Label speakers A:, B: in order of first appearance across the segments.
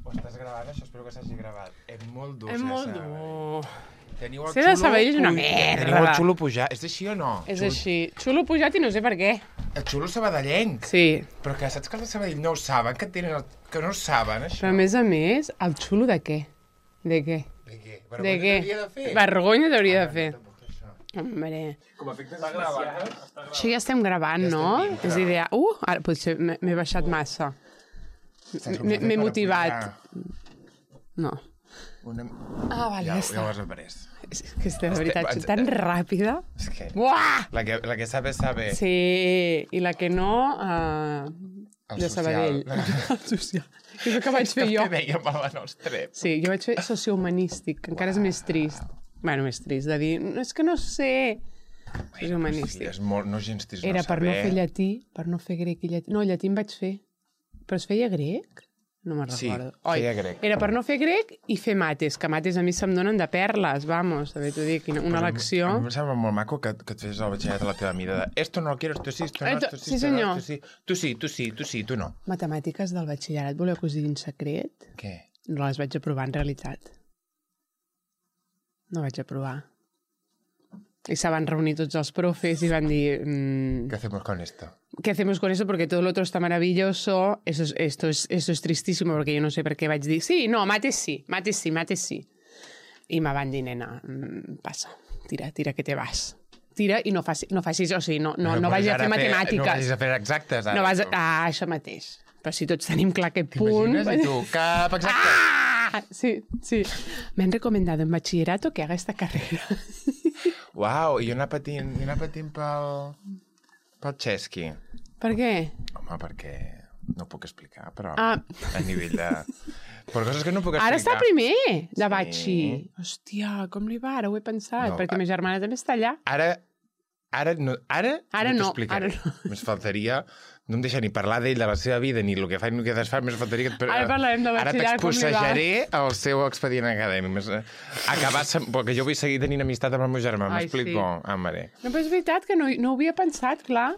A: Ho estàs gravant, això? Espero que s'hagi gravat. És molt dur,
B: És molt dur.
A: Teniu el
B: Ser de Sabadell és una
A: Teniu el
B: merda.
A: xulo pujat. És així o no?
B: És així. Xulo pujat i no sé per què.
A: El xulo sabadellenc.
B: Sí.
A: Però que saps que els de Sabadell no ho saben, que no ho saben, això.
B: Però a més, el xulo de què? De què?
A: De què?
B: De
A: Vergonya
B: què?
A: t'hauria de fer.
B: Vergonya t'hauria de fer.
A: Tampoc això.
B: Hombre.
A: Com a efectes especials.
B: Això ja estem gravant,
A: Ja
B: no?
A: estem dintre.
B: És idea... Ara potser m'he baixat massa. M'he motivat. No. Vale, ja
A: Ja
B: està.
A: ho has après.
B: És que de veritat, soc tan ràpida.
A: És que
B: Buah!
A: la que sabe, sabe.
B: Sí, i la que no...
A: El
B: de
A: social.
B: Sabadell. El social. És el que vaig fer jo.
A: Que veiem a la nostra.
B: Sí, jo vaig fer sociohumanístic, que encara és més trist. Bueno, més trist de dir, no, és que no sé. Sociohumanístic.
A: Sí, és molt, no gens trist
B: Era
A: no
B: per no
A: saber.
B: fer llatí, per no fer grec i llatí. No, llatí em vaig fer. Però es feia grec? No me'n
A: Sí,
B: recordo.
A: feia grec.
B: Era per no fer grec i fer mates, que mates a mi se'm donen de perles, vamos, també t'ho dic, una lecció.
A: A mi em sembla molt maco que et fes el batxillerat a la teva mida de esto no lo quiero, esto sí, esto no, esto sí,
B: Sí,
A: esto no,
B: senyor.
A: esto sí. Tu sí, tu sí, tu sí, tu no.
B: Matemàtiques del batxillerat, voleu que us digui un secret?
A: Què?
B: No les vaig aprovar en realitat. No vaig aprovar. I se van reunir tots els profes i van dir...
A: ¿Qué hacemos con esto?
B: ¿Qué hacemos con eso? Porque todo lo otro está maravilloso. Esto es tristísimo porque yo no sé per què vaig dir sí, no, mates sí, mates sí, mates sí. I me van dir, nena, passa, tira que te vas. Tira i no facis, o sigui, no vagis a fer matemàtiques.
A: No vagis a fer exactes, ara.
B: No vas això mateix. Però si tots tenim clar aquest punt...
A: T'imagines? I tu, cap exacte.
B: Sí. Me han recomendado en bachillerato que haga esta carrera.
A: Uau, i anar patint pel xesqui.
B: Per què?
A: Home, perquè no ho puc explicar, però
B: Ah.
A: a nivell de... Per coses que no puc explicar.
B: Ara està primer, de
A: Sí.
B: batxi. Hòstia, com li va? Ara ho he pensat,
A: No,
B: perquè ma germana també està allà.
A: Ara no
B: no,
A: t'explicaré.
B: ara no.
A: Més faltaria... No em deixa ni parlar d'ell, de la seva vida, ni el que fa ni el que desfà, més faltaria que...
B: Ara parlarem de
A: Ara
B: batxillerat, com li va.
A: t'expossejaré el seu expedient acadèmic. Perquè jo vull seguir tenint amistat amb el meu germà,
B: Ai,
A: m'explico?
B: sí.
A: Ah, mare.
B: No, però és veritat que no ho havia pensat, clar.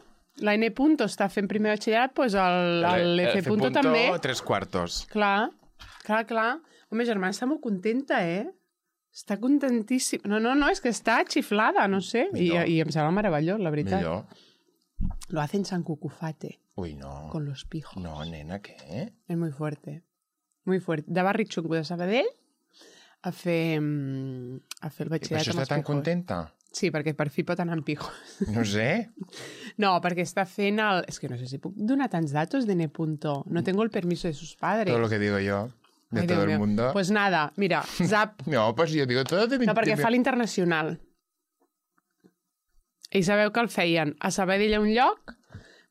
B: La N. Punto està fent primer batxillerat, doncs el F. Punto també.
A: 3/4.
B: Clar. Home, germana està molt contenta, Està contentíssima. No, és que està xiflada, no sé. I em sembla meravellós, la veritat.
A: Millor.
B: Lo hacen San Cucufate,
A: Ui, no.
B: con los pijos.
A: No, nena, què?
B: Es muy fuerte. Muy fuerte. De Barri Xungo de Sabadell a fer el
A: I per
B: batxillerat
A: això
B: amb
A: està
B: els
A: tan
B: pijos.
A: contenta?
B: Sí, perquè per fi pot anar amb pijos.
A: No sé.
B: No, perquè està fent el... És que no sé si puc donar tants datos de N. No tengo el permiso de sus padres.
A: Todo lo que digo yo, de
B: Ai,
A: todo
B: Déu
A: el
B: meu.
A: mundo.
B: Pues nada, mira, zap.
A: No, pues jo digo todo de mi...
B: No, perquè fa l'internacional. I sabeu que el feien a Sabadell a un lloc,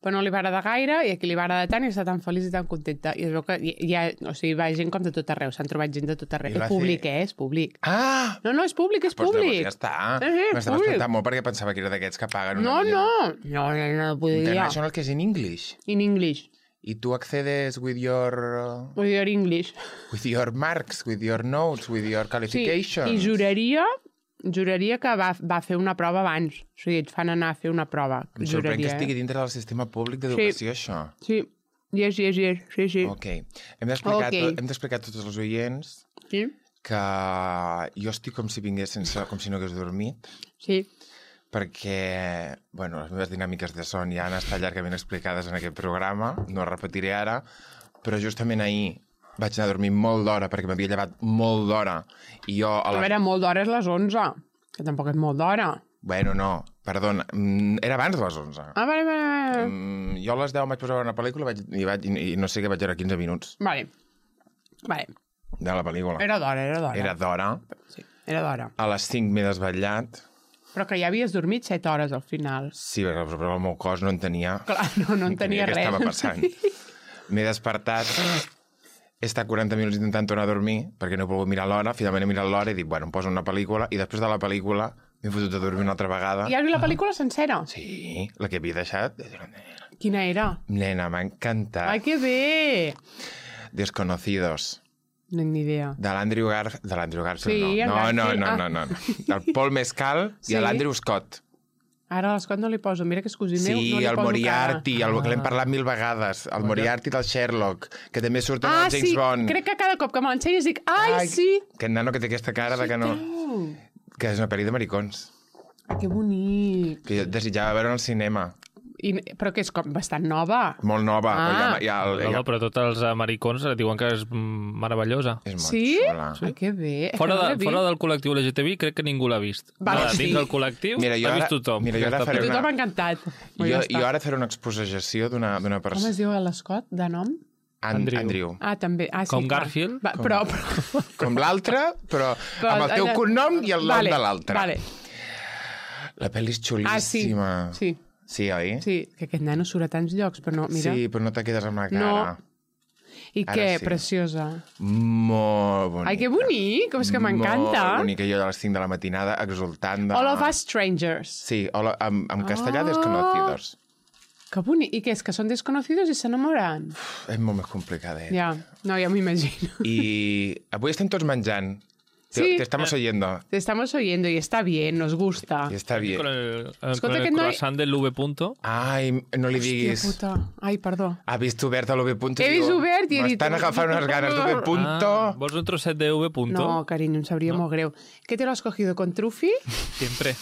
B: però no li va agradar gaire, i aquí li va agradar tant i està tan feliç i tan contenta. I es veu que o sigui, va gent com de tot arreu, s'han trobat gent de tot arreu.
A: I va
B: És públic,
A: fer-
B: és públic.
A: Ah!
B: No, és públic, és
A: Pues
B: públic.
A: llavors ja està.
B: Sí,
A: M'estava
B: públic.
A: espantant molt perquè pensava que era d'aquests que paguen una
B: No,
A: millor.
B: no podria.
A: International, que és in English.
B: In English.
A: I tu accedes with your...
B: With your English.
A: With your marks, with your notes, with your
B: Sí,
A: qualifications.
B: i juraria que va fer una prova abans. O sigui, et fan anar a fer una prova.
A: Em sorprèn que
B: Juraria,
A: estigui dintre del sistema públic d'educació, això.
B: Sí, yes, sí.
A: Ok. Hem d'explicar
B: Ok.
A: a tots els oients
B: Sí,
A: que jo estic com si vingués com si no hagués dormit,
B: sí.
A: perquè, bueno, les meves dinàmiques de son ja han estat llargament explicades en aquest programa, no repetiré ara, però justament ahir vaig anar a dormir molt d'hora, perquè m'havia llevat molt d'hora, i jo...
B: A veure, molt d'hora és les 11, que tampoc és molt d'hora.
A: Bueno, no, perdona, era abans de les 11.
B: Ah, vale.
A: Jo a les 10 em vaig posar a veure una pel·lícula i no sé què vaig veure 15 minuts
B: Vale.
A: de la pel·lícula.
B: Era d'hora.
A: Era d'hora.
B: Sí, era d'hora.
A: A les 5 m'he desvetllat.
B: Però que ja havies dormit 7 hores al final.
A: Sí, però el meu cos no entenia.
B: Clar, no entenia
A: què
B: res.
A: estava passant. M'he despertat, he estat 40 minuts intentant tornar a dormir, perquè no he pogut mirar l'hora, finalment he mirat l'hora i dic, bueno, em poso una pel·lícula, i després de la pel·lícula m'he fotut a dormir una altra vegada.
B: I has vist la pel·lícula sencera?
A: Sí, la que havia deixat.
B: Quina era?
A: Nena, m'ha encantat.
B: Ai, que bé!
A: Desconocidos.
B: No tinc ni idea.
A: De l'Andrew Garfield,
B: Sí, en
A: no.
B: Garfield.
A: No. Del Paul Mescal
B: Sí.
A: i l'Andrew Scott.
B: Ara a l'Scott no li poso. Mira que és cosí meu,
A: Sí,
B: no li
A: el
B: poso
A: Moriarty, el que l'hem parlat 1000 vegades. El Moriarty del Sherlock, que també surt en el James Bond.
B: Crec que cada cop que me l'ensenyes dic, ai, sí!
A: Que nano que té aquesta cara de que no... Que és una pel·li de maricons.
B: Que bonic.
A: Que jo desitjava veure al cinema.
B: Però que és com bastant nova.
A: Molt nova.
C: No, però tots els americans diuen que és meravellosa.
A: És molt
B: Sí?
A: xula.
B: Ai, que bé.
C: Fora del col·lectiu LGTBI crec que ningú l'ha vist.
B: Vale,
C: Dins del col·lectiu l'ha vist tothom.
A: Mira, jo ara faré
B: Tothom m'ha encantat.
A: Jo ara faré una exposició d'una
B: Com
A: persona...
B: es diu l'Scott, de nom?
A: Andrew.
B: Ah, també. Ah, sí,
C: Com
B: clar.
C: Garfield?
B: Però...
A: Com l'altre, però amb el teu cognom i el nom de l'altre.
B: Vale.
A: La pel·li és xulíssima.
B: Sí.
A: Sí, oi?
B: Sí, que aquest nano surt a tants llocs, però no, mira.
A: Sí, però no te quedes amb la cara.
B: No. I
A: Ara
B: què?
A: sí.
B: Preciosa.
A: Molt bonica.
B: Ai, que bonic! És que m'encanta.
A: Molt bonica. Jo a les 5 de la matinada exultant de...
B: All of Us Strangers.
A: Sí, en castellà desconocidos.
B: Que bonic. I què és? Que són desconocidos i s'enamoren?
A: És molt més complicadet.
B: Ja, no, ja m'imagino.
A: I avui estem tots menjant.
B: Sí.
A: Te estamos oyendo.
B: Te estamos oyendo y está bien, nos gusta.
A: I està bé.
C: Con el
B: Escolta, aquest noi-
C: croissant del V punto.
A: Ai, no li diguis.
B: Hòstia puta. Ai, perdó.
A: Ha vist obert l'V punto.
B: He vist obert i he dit...
A: M'estan agafant unes ganes d'V punto.
C: Vols un trosset de V punto?
B: No, cariño, em sabria molt greu. ¿Qué te lo has cogido con trufi?
C: Siempre.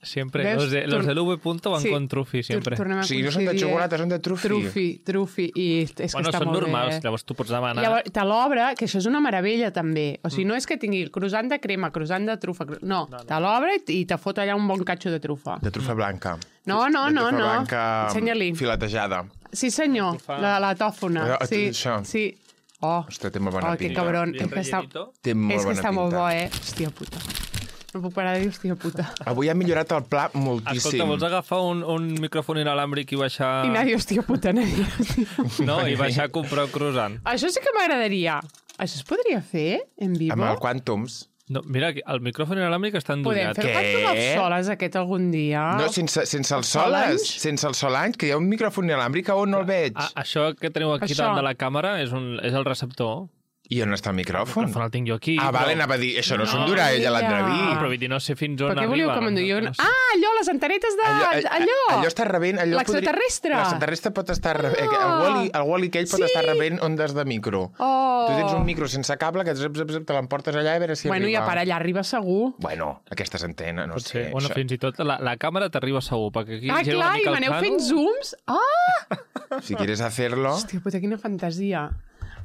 C: Siempre.
B: Veus?
C: Los del V punto van
B: Sí.
C: con trufi, siempre.
B: Tornem a
A: O sigui, no són de
B: coincidir.
A: xocolata, són de trufi.
B: Trufi. I és que
C: Bueno,
B: està
C: són
B: molt
C: normals,
B: bé.
C: llavors tu pots demanar...
B: Llavors, te l'obre, que això és una meravella, també. O sigui, no és que tingui el croissant de crema, croissant de trufa... No, te l'obre i te fot allà un bon catxo de trufa.
A: De trufa blanca.
B: No,
A: De trufa blanca
B: Ensenya-li.
A: filetejada.
B: Sí, senyor, la tòfona.
A: Allò,
B: Sí,
A: això.
B: sí. Oh,
A: Ostres, té molt bona
B: que
A: pinta.
B: cabron.
C: Bien
B: És que està,
C: rellenito.
A: Té molt
B: és que
A: bona
B: està molt
A: pinta.
B: bo, Hòstia puta. No puc parar de dir hòstia puta.
A: Avui ha millorat el pla moltíssim.
C: Escolta, vols agafar un micròfon inalàmbric i baixar...
B: I nadie, hòstia puta, nadie.
C: No, i baixar a comprar un croissant.
B: Això sí que m'agradaria. Això es podria fer en vivo?
A: Amb el Quantums.
C: No, mira, el micròfon inalàmbric està
B: Podem
C: endollat.
B: fer el
A: Què?
B: Quantum of Soles aquest algun dia?
A: No, sense el
B: Els
A: Solange.
B: Solange?
A: Sense el Solange, que hi ha un micròfon inalàmbric on no el veig.
C: Això que teniu aquí
B: Això.
C: davant de la càmera és el receptor.
A: I on està el
C: El
A: micròfon?
C: micròfon el tinc jo aquí.
A: Ah, vale, anava a dir, això no s'endurà ella a
B: ella.
A: l'entrevir.
C: Però vull dir, no sé fins on
B: Però què
C: arriba.
B: volíeu que m'endugui?
C: No sé.
B: Ah, allò, les antenetes de... Allò!
A: Allò està rebent...
B: L'extraterrestre.
A: L'extraterrestre pot estar rebent... El Wall-E aquell pot estar rebent ondes de micro.
B: Oh.
A: Tu tens un micro sense cable que te l'emportes allà a veure si
B: Bueno,
A: arriba.
B: ja per allà arriba segur.
A: Bueno, aquestes antenes, no
C: Pot
A: sé.
C: ser. Bueno, fins i tot la càmera t'arriba segur, perquè aquí
B: Ah,
C: llega
B: clar,
C: una
B: i
C: mica el
B: m'aneu
C: plano.
B: fent zooms. Ah!
A: Si quieres hacerlo...
B: Hòstia puta, quina fantasia.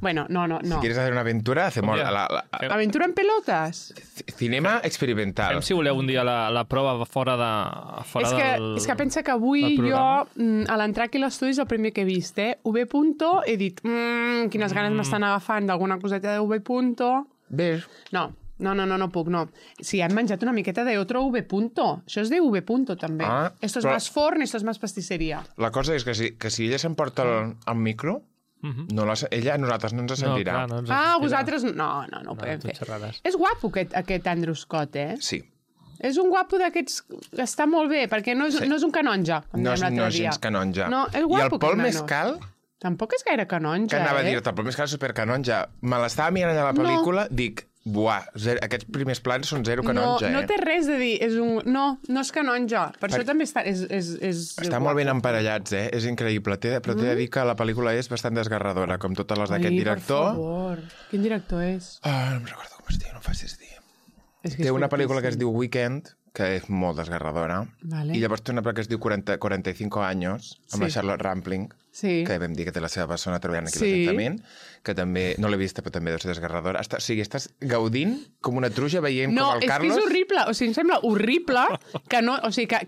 B: Bueno, no.
A: Si quieres hacer una aventura, hacemos
C: Mira.
B: Aventura en pelotes?
A: cinema experimental.
C: Fem, si voleu, un dia la prova fora
B: És que pensa que avui
C: del
B: jo,
C: programa.
B: a l'entrar aquí a l'estudi, és el primer que he vist, V punto, he dit, quines ganes m'estan agafant d'alguna coseta de V punto.
A: Ves?
B: No puc, no. Sí, han menjat una miqueta de otro V punto. Això és de V punto, també.
A: Ah,
B: Esto es
A: però-
B: más forn, esto es más pastisseria.
A: La cosa és que si ella s'emporta el micro, ella a nosaltres no ens sentirà.
C: clar, no ens
B: Ah,
C: sentirà.
B: vosaltres... No ho podem
C: tu
B: fer.
C: xerrades.
B: És guapo aquest Andrew Scott,
A: Sí.
B: És un guapo d'aquests... Està molt bé, perquè no és un canonja, com
A: No
B: dèiem
A: és,
B: l'altre
A: no és
B: dia.
A: gens canonja.
B: No, és
A: I
B: guapo,
A: el Pol
B: aquest nano.
A: Mescal,
B: Tampoc és gaire canonja,
A: que anava a
B: eh?
A: dir-te, el Pol Mescal és supercanonja. Me l'estava mirant a la pel·lícula, dic, buah, aquests primers plans són zero canonja,
B: no té res a dir. No és canonja. Per això també està...
A: Està molt ben emparellats, És increïble. Però t'he de dir que la pel·lícula és bastant desgarradora, com totes les d'aquest director.
B: Per favor. Quin director és?
A: No em recordo com es diu, no em facis dir.
B: És que
A: Té
B: és
A: una pel·lícula que es
B: fortíssim.
A: diu Weekend, que és molt desgarradora.
B: Vale.
A: I llavors té una pel·lícula que es diu 45 anys, amb la
B: Sí.
A: Charlotte Rampling,
B: Sí.
A: que vam dir que té la seva persona treballant aquí a
B: Sí.
A: l'Ajuntament, que també, no l'he vista, però també deu ser desgarradora. O sigui, estàs gaudint com una truja veient
B: No,
A: com el
B: és
A: Carlos...
B: que és horrible. O sigui, em sembla horrible que no, o sigui, que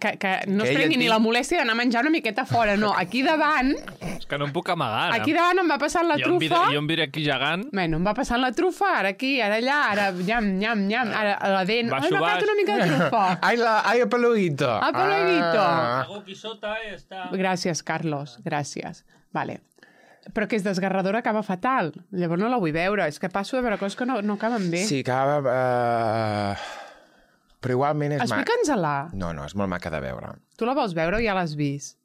B: no
A: Que
B: es
A: ella
B: prengui ni
A: et
B: la molèstia d'anar a menjar una miqueta fora. No, aquí davant,
C: És que no em puc amagar, ara.
B: aquí davant em va passant la trufa...
C: Jo em viré aquí gegant.
B: Bueno, em va passant la trufa, ara aquí, ara allà, ara nyam, ara a la dent.
C: Baixo,
B: Ai, m'ha quedat
C: baix.
B: una mica de trufa.
A: Ai, Apologuito!
B: Apologuito.
C: Hago aquí sota, està...
B: Gràcies, Carlos, gràcies. Vale. Però que és desgarradora, acaba fatal. Llavors no la vull veure. És que passo de veure coses que no acaben bé.
A: Sí, acaba... Però igualment és maca.
B: Explica'ns-la.
A: No, és molt maca de veure.
B: Tu la vols veure o ja l'has vist?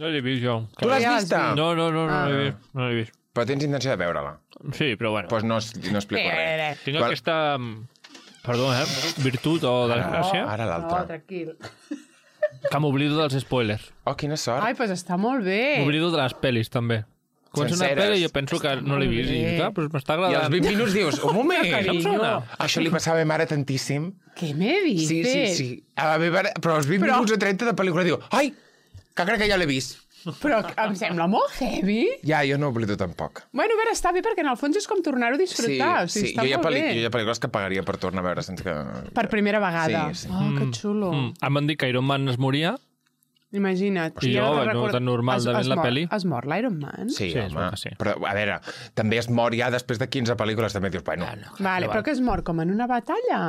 C: No l'he vist jo.
A: Tu l'has
B: Ja l'has
A: vista?
B: vist.
C: No l'he vist. No l'he vist.
A: Però tens intenció de veure-la.
C: Sí, però bueno.
A: Doncs no explico res.
C: Tinc aquesta... Perdó, virtut o desgràcia.
A: Ara l'altra.
B: tranquil.
C: Que m'oblido dels spoilers.
A: Oh, quina sort.
B: Ai, doncs està molt bé.
C: M'oblido de les pel·lis, també. Comença una
A: Senceres.
C: pel·li i jo penso que no l'he vist. I clar, però m'està
A: I als
C: agradant.
A: 20 minuts dius, un moment.
B: Carinyo.
C: Em sona.
A: Això li passava a ma mare tantíssim.
B: Què me dices?
A: Sí. A la meva mare, però als 20 minuts o 30 de pel·lícula diu, ai, que crec que ja l'he vist.
B: Però em sembla molt heavy.
A: Ja, jo no oblido tampoc.
B: Bueno, a veure, està bé, perquè en el fons és com tornar-ho a disfrutar. O sigui, està
A: jo hi ha
B: molt bé.
A: jo hi ha pel·lícules que pagaria per tornar a veure sense que...
B: Per primera vegada.
A: Sí.
B: Oh, que xulo.
C: Em van dir que Iron Man es moria.
B: Imagina't.
C: I jo,
B: ara
C: no tan normal de veure la peli.
B: Es mor l'Iron Man?
A: Sí,
C: Sí, es
A: home.
C: veu que sí.
A: Però, a veure, també es mor ja després de 15 pel·lícules, també dius, bueno...
B: Vale, però que es mor com en una batalla?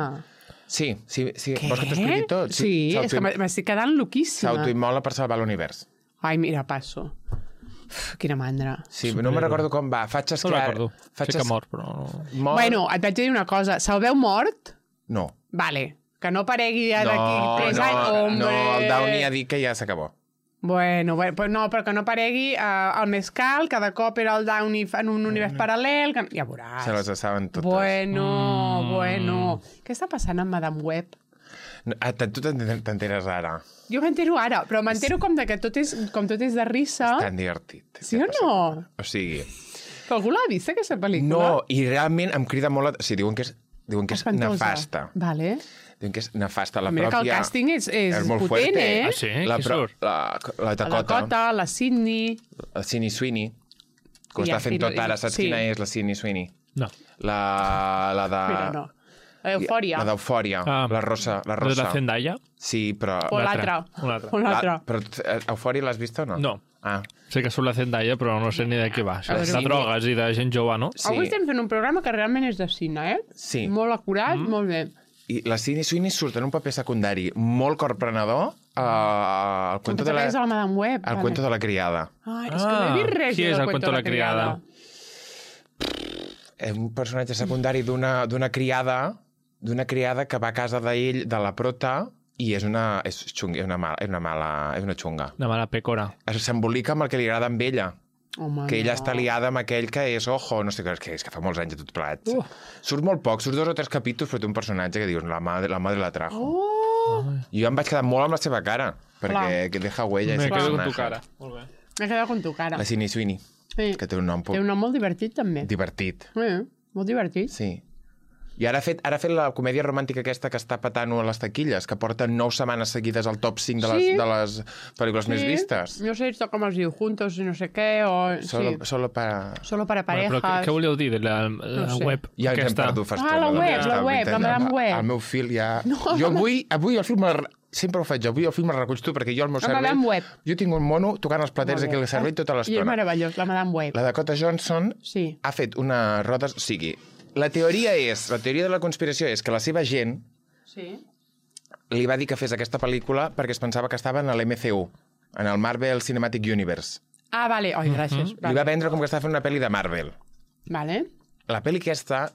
A: Sí.
B: Què?
A: Vols que t'ho expliqui tot?
B: Sí, és que m'estic quedant loquíssima.
A: S'autoimmola per salvar l'univers.
B: Ai, mira, passo. Uf, quina mandra.
A: Sí, no me recordo com va. Faig
C: No
A: esclar...
C: recordo. Sé que mor, però...
A: Mor...
B: Bueno, et vaig dir una cosa. Se'l veu mort?
A: No.
B: Vale. Que no paregui ja d'aquí 3 anys. Hombre.
A: No, el Downey ha dit que ja s'acabó.
B: Bueno, pues no, però que no paregui el mescal, cada cop era el Downey en un univers paral·lel, que... ja veuràs.
A: Se les saben totes.
B: Bueno. Què està passant amb Madame Web?
A: Tu t'enteres ara.
B: Jo m'entero ara, però m'entero com de que tot és de risa.
A: Tan divertit.
B: Sí o no?
A: O sigui...
B: Però algú l'ha vist, aquesta pel·lícula?
A: No, i realment em crida molt... O sigui, diuen que és
B: Espantosa.
A: nefasta.
B: Vale.
A: Diuen que és nefasta. La
B: Mira que el
A: pròpia...
B: càsting és
A: molt
B: potent,
A: fuerte.
B: eh?
C: Ah, sí?
A: La,
C: Qui
A: pro...
C: surt?
A: la
B: La Dakota, la Sydney...
A: La Sydney Sweeney. Que ho
B: Ja,
A: està fent
B: sí,
A: tot ara. Saps
B: sí.
A: quina és la Sydney Sweeney?
C: No.
A: La de...
B: Mira, no. Eufòria.
A: La d'Eufòria.
C: Ah,
A: La rosa. La
C: De
A: rosa.
C: la Zendaya?
A: Sí, però...
B: O
C: Una
B: l'altra.
C: altra, una altra.
B: O l'altra.
A: Però Eufòria l'has vist o no?
C: No.
A: Ah,
C: Sé que surt la Zendaya, però no sé ni de què va.
B: A veure,
C: De drogues i de gent jove, no?
A: sí.
B: Avui estem fent un programa que realment és de cine, eh?
A: Sí.
B: Molt acurat, molt bé.
A: I la Sydney Sweeney surt en un paper secundari molt corprenedor al cuento de la...
B: És la Madame Web.
A: Al cuento de la criada.
B: Ai, és que no he vist res
C: Qui és
B: del
C: el cuento de la criada?
A: És un personatge secundari d'una criada que va a casa d'ell, de la prota, i és una xunga. És una xunga.
C: De mala pecora.
A: S'embolica amb el que li agrada amb ella.
B: Home,
A: Que ella
B: no.
A: està liada amb aquell que és ojo, no sé què, és que fa molts anys de tot plegat. Surt molt poc, surt 2 o 3 capítols, però té un personatge que dius, la madre la trajo.
B: Oh!
A: I jo em vaig quedar molt amb la seva cara, perquè
B: Clar.
A: que deja huella.
C: Me
A: ese
C: quedo con tu
A: personaje.
C: cara. Molt bé.
B: M'he quedat con tu cara.
A: La Sydney Sweeney,
B: Sí.
A: que té un nom
B: Té un nom molt divertit, també.
A: divertit.
B: Molt divertit.
A: Sí. I ara ha fet la comèdia romàntica aquesta que està patant a les taquilles, que porta 9 setmanes seguides al top 5
B: Sí.
A: de les pel·lícules més vistes.
B: No sé esto com es diu, juntos i no sé què, o...
A: Solo para...
B: Solo para
C: Bueno,
B: parejas.
C: però què voleu dir de la
B: No sé.
C: web
A: Ja ens hem
C: aquesta?
A: perdut fas
B: Ah, la web,
A: estona.
B: la web, la Madame Web.
A: El meu fil ja...
B: No,
A: jo avui el film... Sempre ho faig, avui el film el reculls tu, perquè jo al meu
B: La
A: cervell...
B: Madame Web.
A: Jo tinc un mono tocant els platers
B: Molt
A: aquí
B: bé.
A: al cervell tota
B: I és
A: l'estona.
B: meravellós, la Madame Web.
A: La Dakota Johnson
B: Sí.
A: ha fet una roda... O sigui, la teoria de la conspiració és que la seva gent
B: Sí.
A: li va dir que fes aquesta pel·lícula perquè es pensava que estava en l'MCU, en el Marvel Cinematic Universe.
B: Ah, vale. Ai, gràcies.
A: Li va vendre com que estava fent una pel·li de Marvel.
B: Vale.
A: La pel·li aquesta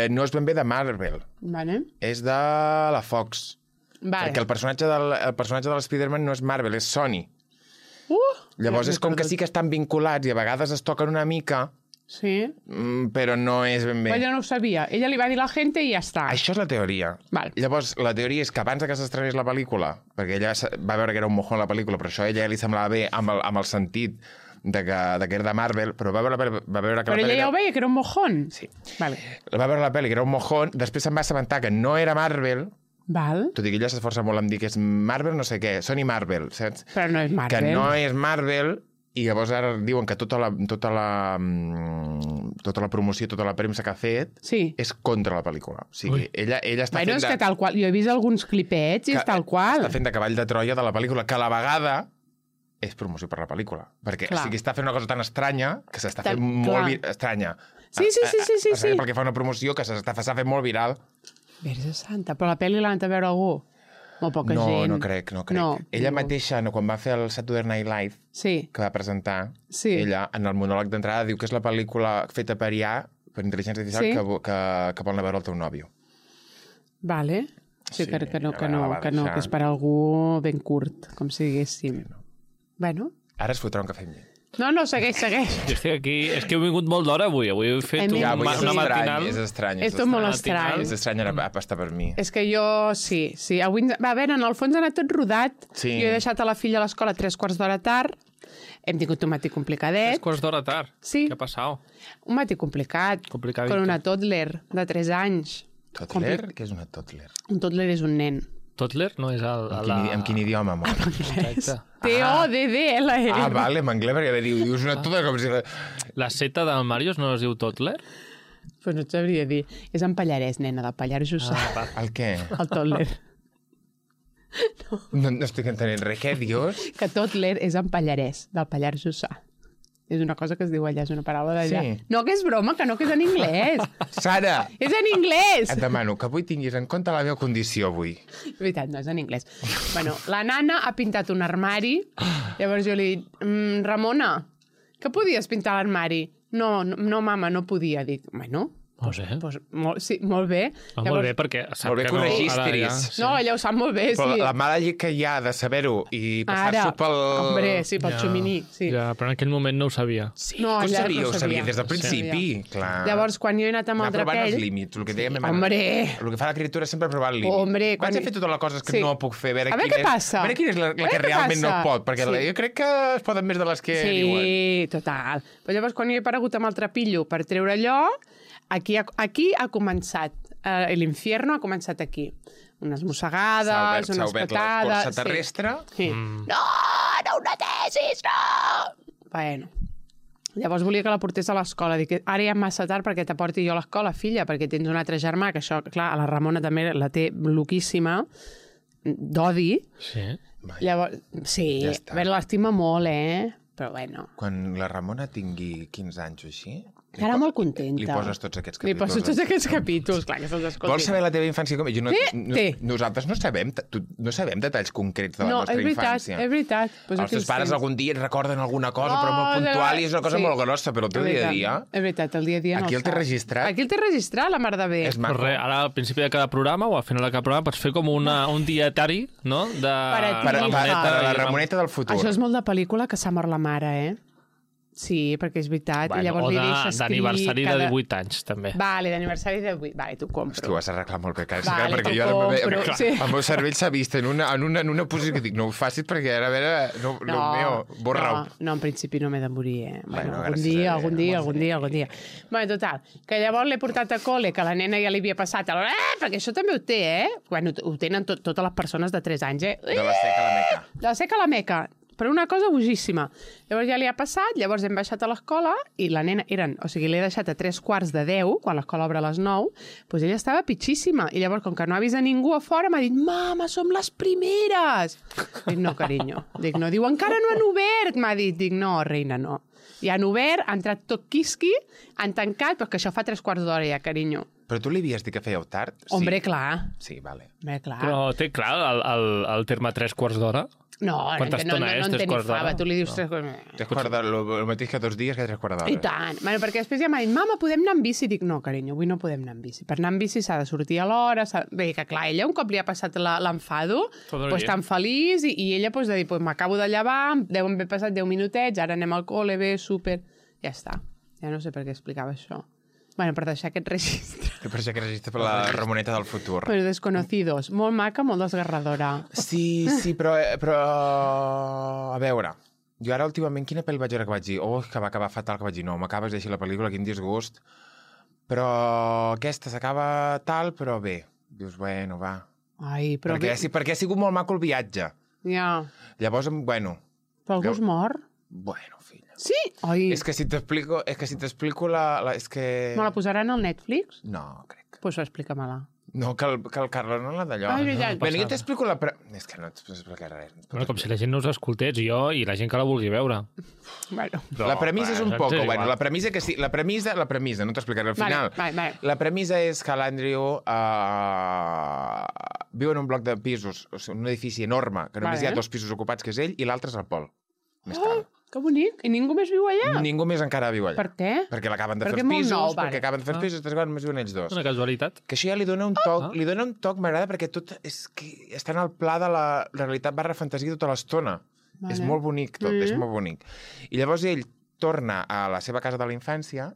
A: no és ben bé de Marvel,
B: Vale.
A: és de la Fox.
B: Vale.
A: Perquè el personatge de l'Spider-Man no és Marvel, és Sony. Llavors
B: Ja
A: és com
B: m'he
A: que
B: perdut.
A: sí que estan vinculats i a vegades es toquen una mica,
B: Sí.
A: però no és ben bé.
B: Ella no ho sabia. Ella li va dir a la gent i ja està.
A: Això és la teoria.
B: Val.
A: Llavors, la teoria és que abans de que s'estrenés la pel·lícula, perquè ella va veure que era un mojón la pel·lícula, però això a ella li semblava bé amb el sentit de que era de Marvel, però va veure que
B: Però
A: la
B: ella
A: pel·li...
B: ja ho veia, que era un mojón.
A: Sí.
B: Vale.
A: Va veure la pel·li, que era un mojón, després se'n va assabentar que no era Marvel,
B: Val.
A: tot i que ella s'esforça molt en dir que és Marvel no sé què, Sony Marvel, saps?
B: Però no és Marvel.
A: Que no és Marvel, i llavors ara diuen que tota la promoció, tota la premsa que ha fet
B: Sí.
A: és contra la pel·lícula. O sigui, ella està
B: Bueno,
A: fent
B: és que tal qual. Jo he vist alguns clipets i és tal qual.
A: Està fent de cavall de Troia de la pel·lícula, que a la vegada és promoció per la pel·lícula. Perquè
B: Clar.
A: o sigui, està fent una cosa tan estranya que s'està
B: Tan-
A: fent molt
B: clar.
A: estranya.
B: Sí, sí, sí, sí, sí, sí.
A: Perquè fa una promoció que s'ha fet molt viral.
B: Verge santa. Però la pel·li l'ha anat a veure algú? Molt poca
A: No,
B: gent.
A: no crec.
B: No,
A: Ella
B: no.
A: mateixa, quan va fer el Saturday Night Live,
B: Sí.
A: que va presentar,
B: Sí.
A: ella, en el monòleg d'entrada, diu que és la pel·lícula feta per IA, per intel·ligència artificial,
B: Sí.
A: que vol anar a veure el teu nòvio.
B: Vale. Sí,
A: Sí,
B: que no,
A: a veure, la va
B: que
A: deixar.
B: és per algú ben curt, com si diguéssim. Bueno,
A: Ara es fotrà un cafè amb llet.
B: No, segueix.
C: Jo estic aquí... És que he vingut molt d'hora avui. Avui he fet
B: Ja,
A: Avui és
C: una
A: estrany,
C: matinal.
A: és estrany.
B: Esto és molt estrany.
A: És estrany ara estar per mi.
B: És que jo, sí. Avui, a veure, en el fons ha anat tot rodat.
A: Sí.
B: Jo he deixat a la filla a l'escola 3/4 d'hora tard. Hem tingut un matí complicadet.
C: 3 quarts d'hora tard.
B: Sí.
C: Què ha passat?
B: Un matí complicat.
C: Complicadito.
B: Con una toddler de 3 anys.
A: Toddler? Què és una toddler?
B: Un toddler és un nen.
C: Toddler no és
A: En quin idioma, amor?
C: Exacte.
B: T-O-D-D-L-E.
A: Ah, vale, en anglès, perquè dius una toddler com si...
C: La seta del Màrius no es diu Toddler?
B: Pues no et sabria dir. És en Pallarès, nena, del Pallars Jussà.
A: El què?
B: El toddler.
A: No estic entenent res. Què dius?
B: Que toddler és en Pallarès, del Pallars Jussà. És una cosa que es diu allà, és una paraula d'allà.
A: Sí.
B: No, que és broma, que no, que és en anglès.
A: Sara,
B: És en anglès!
A: et demano que avui tinguis en compte la meva condició avui.
B: És veritat, no, és en anglès. Bueno, la nana ha pintat un armari, llavors jo li dic, Ramona, que podies pintar l'armari? No, mama, no podia. Dic, bueno,
C: Molt bé.
B: doncs, sí, molt bé.
C: Molt bé, perquè sap
A: Molt bé que ho
C: no,
A: registris.
C: ara ja-
B: No, ella ho sap molt bé,
A: Però
B: sí.
A: la mala llet que hi ha de saber-ho i passar-s'ho pel...
B: Hombre, sí, pel xuminí, sí.
C: Ja, però en aquell moment no ho sabia.
A: Sí,
B: No,
A: que ho
B: ja
A: sabia,
B: no
A: ho sabia
B: sabia.
A: des del principi, clar.
B: Llavors, quan jo he anat amb
A: anar
B: el
A: provant els
B: drapell...
A: límits, el que dèiem...
B: Hombre!
A: El que fa l'escriptura és sempre provar el límit.
B: Hombre,
A: Vaig a fer totes les coses que
B: Sí.
A: no puc fer, a veure,
B: A veure què passa.
A: A veure quina és la
B: A veure
A: que
B: què
A: realment no
B: passa.
A: pot, perquè
B: Sí.
A: jo crec que es poden més de les que diuen.
B: Sí, total. Però llavors, quan jo he aparegut amb el trapillo per treure allò, aquí ha començat. L'infierno ha començat aquí. Unes mossegades,
A: S'ha
B: unes
A: obert la
B: patades...
A: escorça terrestre.
B: Sí. No, una tesis, no! Bueno, llavors volia que la portés a l'escola. Dic, ara ja és massa tard perquè te porti jo a l'escola, filla, perquè tens un altre germà, que això, clar, a la Ramona també la té loquíssima, d'odi.
C: Sí.
B: Llavors, sí,
A: Ja està.
B: a veure, l'estima molt, però bueno.
A: Quan la Ramona tingui 15 anys o així...
B: Estarà molt contenta.
A: Li poses tots aquests
B: Li
A: capítols.
B: poso tots aquests capítols, clar, que se'ls escolti.
A: Vols saber la teva infància com? Jo no,
B: Té.
A: Nosaltres no sabem, no sabem detalls concrets de la
B: No,
A: nostra
B: és veritat,
A: infància.
B: és veritat. Pues
A: Els teus pares algun dia et recorden alguna cosa, però molt
B: Oh,
A: puntual, i és una cosa
B: sí.
A: molt grossa, però el teu
B: És
A: dia a
B: veritat,
A: dia...
B: És veritat, el dia a dia no
A: Aquí el té
B: sap.
A: registrat?
B: Aquí el té registrat, la mar de bé.
A: És maco.
C: Però res, ara al principi de cada programa o al final de cada programa pots fer com un dietari, no? De
B: a ti.
A: Per a la
C: i
A: Ramoneta del futur.
B: Això és molt de pel·lícula que s'ha mort la mare, Sí, perquè és veritat.
C: Bueno,
B: I llavors
C: o
B: li deixa escrit...
C: d'aniversari de 18 anys, també.
B: Vale, d'aniversari de 18. Vale, t'ho compro.
A: Tu has arreglat molt bé, Càrrega,
B: Vale,
A: perquè
B: t'ho
A: jo ara
B: compro,
A: clar,
B: sí.
A: el meu cervell s'ha vist en una posició que dic, no ho facis perquè ara, a veure, no meu, borra-ho.
B: No, en principi no m'he de morir,
A: Bueno,
B: algun
A: gràcies
B: dia,
A: a Déu.
B: algun dia. Bueno, total, que llavors l'he portat a col·le, que la nena ja li havia passat, perquè això també ho té, Bueno, ho tenen totes les persones de 3 anys,
A: De la seca a la meca.
B: De la seca a la meca, per una cosa bogíssima. Llavors ja li ha passat, llavors hem baixat a l'escola i la nena o sigui, l'he deixat a 3:45, quan l'escola obre a les 9, doncs ella estava pitxíssima. I llavors, com que no ha vist a ningú a fora, m'ha dit, mama, som les primeres! Dic, no, carinyo. Dic, no. Diu, encara no han obert, m'ha dit. Dic, no, reina, no. I han obert, ha entrat tot quisqui, han tancat, però que això fa 3/4 d'hora ja, carinyo.
A: Però tu li havies dit que fèieu tard? Sí.
B: Hombre, clar.
A: Sí, vale.
B: Hombre, clar.
C: Però té clar el terme 3 quarts d'hora?
B: No,
C: Quanta estona és,
B: en té
C: 3
B: ni
C: quarts d'hora?
B: fava. Tu li dius
C: No.
B: 3 quarts...
A: 3/4 d'hora, el mateix que 2 dies, que 3/4 d'hora.
B: I tant. Bueno, perquè després ja m'ha dit, mama, podem anar amb bici? Dic, no, carinyo, avui no podem anar amb bici. Per anar amb bici s'ha de sortir a l'hora. Bé, que clar, ella un cop li ha passat l'enfado,
C: Tot el
B: pues,
C: dia.
B: tan feliç, i ella pues, de dir, pues, m'acabo de llevar, deuen haver passat 10 minutets, ara anem al col·le, bé, súper... Ja està. Ja no sé per què explicava això. Bueno, per deixar aquest registre.
A: Que per això que registre per la Ramoneta del futur.
B: Però desconocidos. Molt maca, molt desgarradora.
A: Sí, però... A veure, jo ara últimament quina pel·li vaig veure que vaig dir que va acabar fatal, que vaig dir no, m'acabes de deixar la pel·lícula, quin disgust. Però aquesta s'acaba tal, però bé. Dius, bueno, va.
B: Ai, però...
A: Perquè ha sigut molt maco el viatge.
B: Ja.
A: Llavors, bueno...
B: Però algú es mor?
A: Bueno, filla.
B: Sí? Ai,
A: És que si t'explico és que...
B: me la posaran al Netflix?
A: No, crec.
B: Pues explica-me-la.
A: No, que el Carles no l'ha d'allò.
B: Ah, és veritat.
A: Bueno, jo t'explico la... És que no t'explicaré res.
C: Bueno, com si la gent no us escoltés, jo i la gent que la vulgui veure.
B: Bueno.
C: Però,
A: La premissa és un
C: saps?
A: poc...
C: És
A: Bueno,
C: igual.
A: la premissa que sí... La premissa, no t'explicaré al final.
B: Vale.
A: La premissa és que l'Andrew viu en un bloc de pisos, o sigui, un edifici enorme, que només
B: Vale.
A: hi ha 2 pisos ocupats, que és ell, i l'altre és el Pol. Més cal.
B: Que bonic. I ningú més viu allà?
A: Ningú més encara viu allà.
B: Per què?
A: Perquè l'acaben de fer
B: Perquè
A: els
B: és molt
A: pisos,
B: nou, vale.
A: perquè acaben de fer els pisos, després només viuen ells dos.
C: Una casualitat.
A: Que això ja li dona un toc, li dona un toc, m'agrada, perquè tot és que està en el pla de la realitat barra fantasia tota l'estona. És molt bonic tot, és molt bonic. I llavors ell torna a la seva casa de la infància.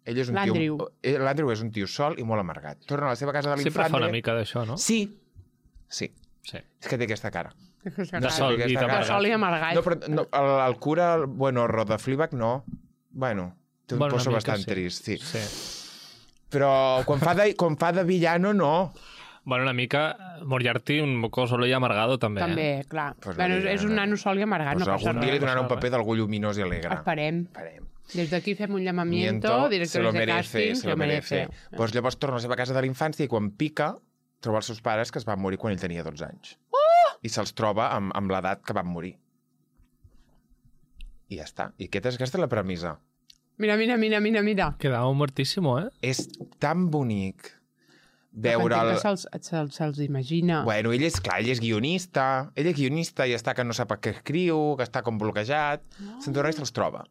A: Ell és un
B: L'Andrew.
A: L'Andrew és un tio sol i molt amargat. Torna a la seva casa de la
C: Sempre
A: infància.
C: fa una mica d'això, no?
A: Sí.
C: Sí.
A: És que té aquesta cara.
C: De sol i
B: De
C: d'amargat.
B: sol i amargat.
A: No, però no, el cura, bueno, Rod de Fleabag, no. Bueno, té un poso bastant trist, sí. Però quan fa de villano, no.
C: Bueno, una mica Moriarty, un moco solo i amargado, també.
B: També, clar.
A: Pues
B: Bueno, és un nano sol i amargat,
A: Pues
B: no passa
A: algun dia li
B: res.
A: donaran un paper d'algú lluminós i alegre.
B: Esperem. Des d'aquí fem un llamamiento,
A: Se lo
B: directors de
A: merece,
B: càsting,
A: se lo merece. Pues llavors torna a la seva casa de la infància i quan pica troba els seus pares que es van morir quan ell tenia 12 anys. I se'ls troba amb l'edat que van morir. I ja està. I aquesta és la premissa.
B: Mira.
C: Quedava muertíssimo, eh?
A: És tan bonic veure
B: el... Se'ls imagina.
A: Bueno, ell és guionista. Ell és guionista i està que no sap què escriu, que està com bloquejat. Se'n torna i se'ls troba.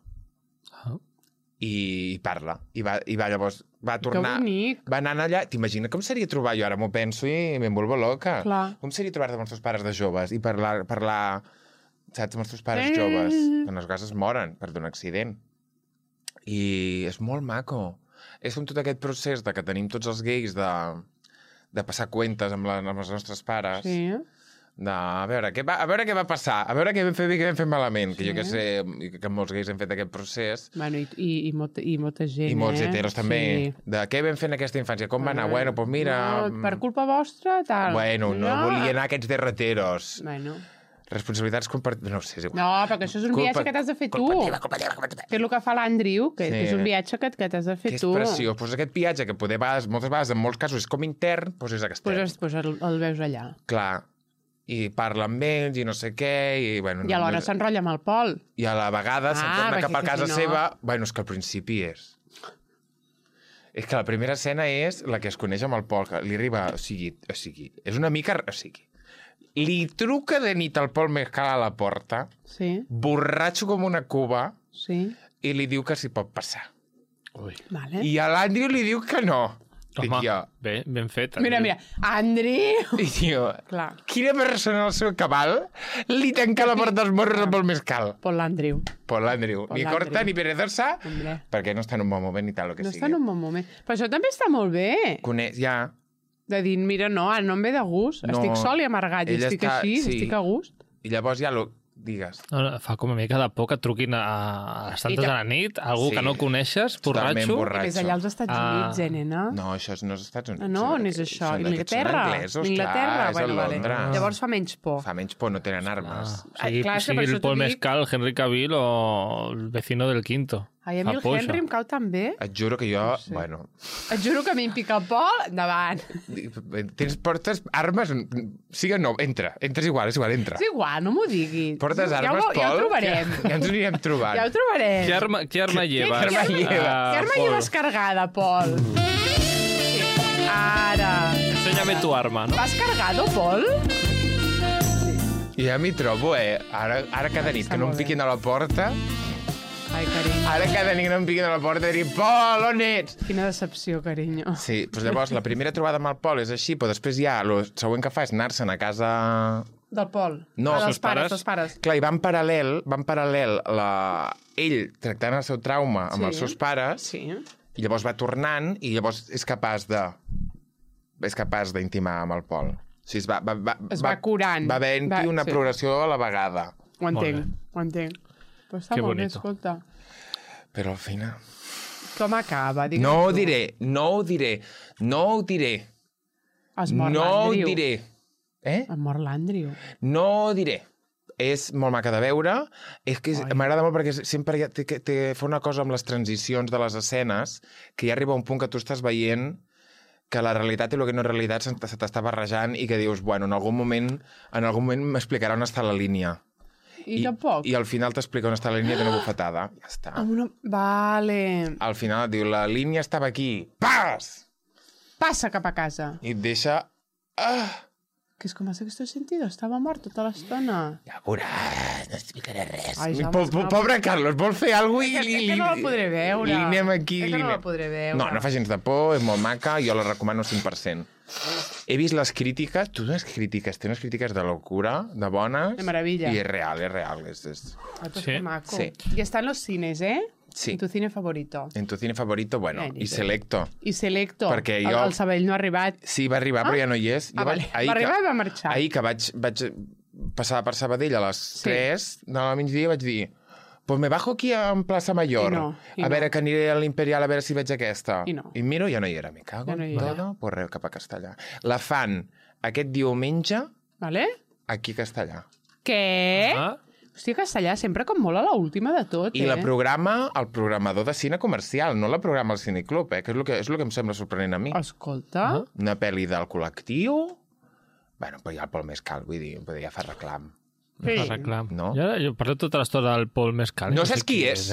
A: I parla. I va llavors... Va tornar...
B: Que bonic.
A: Va anar allà... T'imagines com seria trobar... Jo ara m'ho penso i me'n vuelvo loca.
B: Clar.
A: Com seria trobar-te amb els teus pares de joves i parlar saps, amb els teus pares joves? Que en les vegades es moren per d'un accident. I és molt maco. És com tot aquest procés de que tenim tots els gais de passar cuentes amb els nostres pares.
B: Sí.
A: A veure què va passar, a veure què vam fer bé i què vam fer malament, que jo que sé, que molts gais hem fet aquest procés.
B: Bueno, i molta gent,
A: I molts heteros també.
B: Sí.
A: De què vam fer en aquesta infància? Com va anar? Bueno, doncs mira...
B: No, per culpa vostra, tal.
A: Bueno, no volia anar a aquests derreteros.
B: Bueno.
A: Responsabilitats compartides... No sé, és igual.
B: No, perquè això és un viatge que t'has de fer tu.
A: Culpa teva.
B: Que és el que fa l'Andrew, que és un viatge que t'has de fer
A: Que és
B: tu.
A: preciós. Pues aquest viatge, que moltes vegades, en molts casos, és com intern, doncs és extern.
B: Pues el veus allà.
A: Clar. I parla amb ells i no sé què. I, bueno,
B: I alhora s'enrotlla amb el Pol.
A: I a la vegada se'n torna cap a casa seva. Bueno, és que al principi és... És que la primera escena és la que es coneix amb el Pol, que li arriba... O sigui, és una mica... O sigui, li truca de nit al Pol Mescal a la porta, borratxo com una cuba, i li diu que s'hi pot passar.
B: Vale.
A: I a l'Andrew li diu que no.
C: Home, bé, ben fet.
B: Mira, Andrew!
A: I diu, quina persona al seu cabal li tanca la porta dels morros amb el mescal?
B: Pol l'Andrew.
A: Ni corta ni perezosa, perquè no està en un bon moment ni tal, el que sigui.
B: No està en un bon moment. Però això també està molt bé.
A: Ja.
B: De dir, mira, no, no em ve de gust. Estic sol i amargat, i estic així, estic a gust.
A: I llavors ja digues.
C: No, fa com una mica de por que et truquin a les tantes de la nit, algú que no coneixes, borratxo.
B: És allà als Estats Units, nena.
A: No, això no és als Estats Units.
B: No, no és això. Inglaterra.
A: Inglaterra,
B: Vale. Llavors fa menys por.
A: Fa menys por, no tenen armes.
C: Sigui el Paul Mescal, Henry Cavill o el vecino del quinto.
B: Ai, a mi el Henry em cau tan bé.
A: Et juro que jo... Bueno...
B: Et juro que a mi em pica el Pol, endavant.
A: Portes armes... Sí o no? Entres igual, és igual, entra.
B: És igual, no m'ho diguis.
A: Portes armes, Pol?
B: Ja ho trobarem.
A: Ja ens anirem trobant.
B: Ja ho trobarem.
C: Què arma lleves?
B: Què arma lleves cargada, Pol? Ara.
C: Enséñame tu arma, no?
B: Vas cargado, Pol?
A: Ja m'hi trobo, Ara cada nit que no em piquin a la porta...
B: Ai, carinyo.
A: Ara cada nit no em piquin a la porta i dir, Pol, on ets?
B: Quina decepció, carinyo.
A: Sí, doncs llavors la primera trobada amb el Pol és així, però després ja el següent que fa és anar-se'n a casa...
B: Del Pol.
A: No,
B: dels pares.
A: Clar, i van paral·lel ell tractant el seu trauma amb els seus pares, i llavors va tornant, i llavors és capaç d'intimar amb el Pol. O sigui,
B: es va curant.
A: Va havent-hi una progressió a la vegada.
B: Ho entenc. Però està molt bé, escolta.
A: Però al final...
B: Com acaba?
A: No ho diré.
B: Es mor l'Andrew.
A: No ho diré.
B: Es mor l'Andrew.
A: No ho diré. És molt maca de veure. És que m'agrada molt perquè sempre fa una cosa amb les transicions de les escenes que ja arriba un punt que tu estàs veient que la realitat i el que no és realitat se t'està barrejant i que dius, bueno, en algun moment m'explicarà on està la línia.
B: I tampoc.
A: I al final t'explica on està la línia d'una bufetada. Ja està.
B: Vale.
A: Al final et diu, la línia estava aquí. Pas!
B: Passa cap a casa.
A: I et deixa...
B: Que és com el sexto sentido. Estava mort tota l'estona.
A: Ja veuràs, no explicaré res.
B: Ai,
A: Pobre Carlos, vol fer alguna cosa i...
B: Que no la podré veure.
A: Li anem aquí.
B: Que no la podré veure.
A: No fa gens de por, és molt maca, jo la recomano 100%. He vist les crítiques, té unes crítiques de locura, de bones.
B: De meravella.
A: I és real.
B: Ai, pues
C: Sí.
B: que maco.
A: Sí.
B: I està en los cines,
A: Sí.
B: En tu cine favorito.
A: En tu cine favorito, bueno,
B: Ai,
A: i Selecto.
B: I Selecto.
A: Perquè jo-
B: El Sabell no ha arribat.
A: Sí, va arribar, però ja no hi és. Jo
B: vale. Va arribar i va marxar.
A: Ahir que vaig passar per Sabadell a les 3 de la migdia vaig dir pues me bajo aquí en Plaça Mayor, a veure que aniré a l'Imperial a veure si veig aquesta.
B: I no.
A: I miro, ja no hi era, me cago
B: Ja no
A: en
B: hi era.
A: todo, pues res, cap a Castellà. La fan aquest diumenge
B: Vale?
A: aquí a Castellà.
B: Què?
C: Ah,
B: Hòstia, Castellà sempre com molt a l'última de tot,
A: I la programa el programador de cine comercial, no la programa el Cineclub, que és el que em sembla sorprenent a mi.
B: Escolta...
A: Una pel·li del col·lectiu... Bueno, però ja el Pol Mescal, vull dir, ja fa reclam.
B: Sí.
C: fa reclam.
A: No?
C: Jo parlo tota l'estona del Pol Mescal.
A: No saps qui és?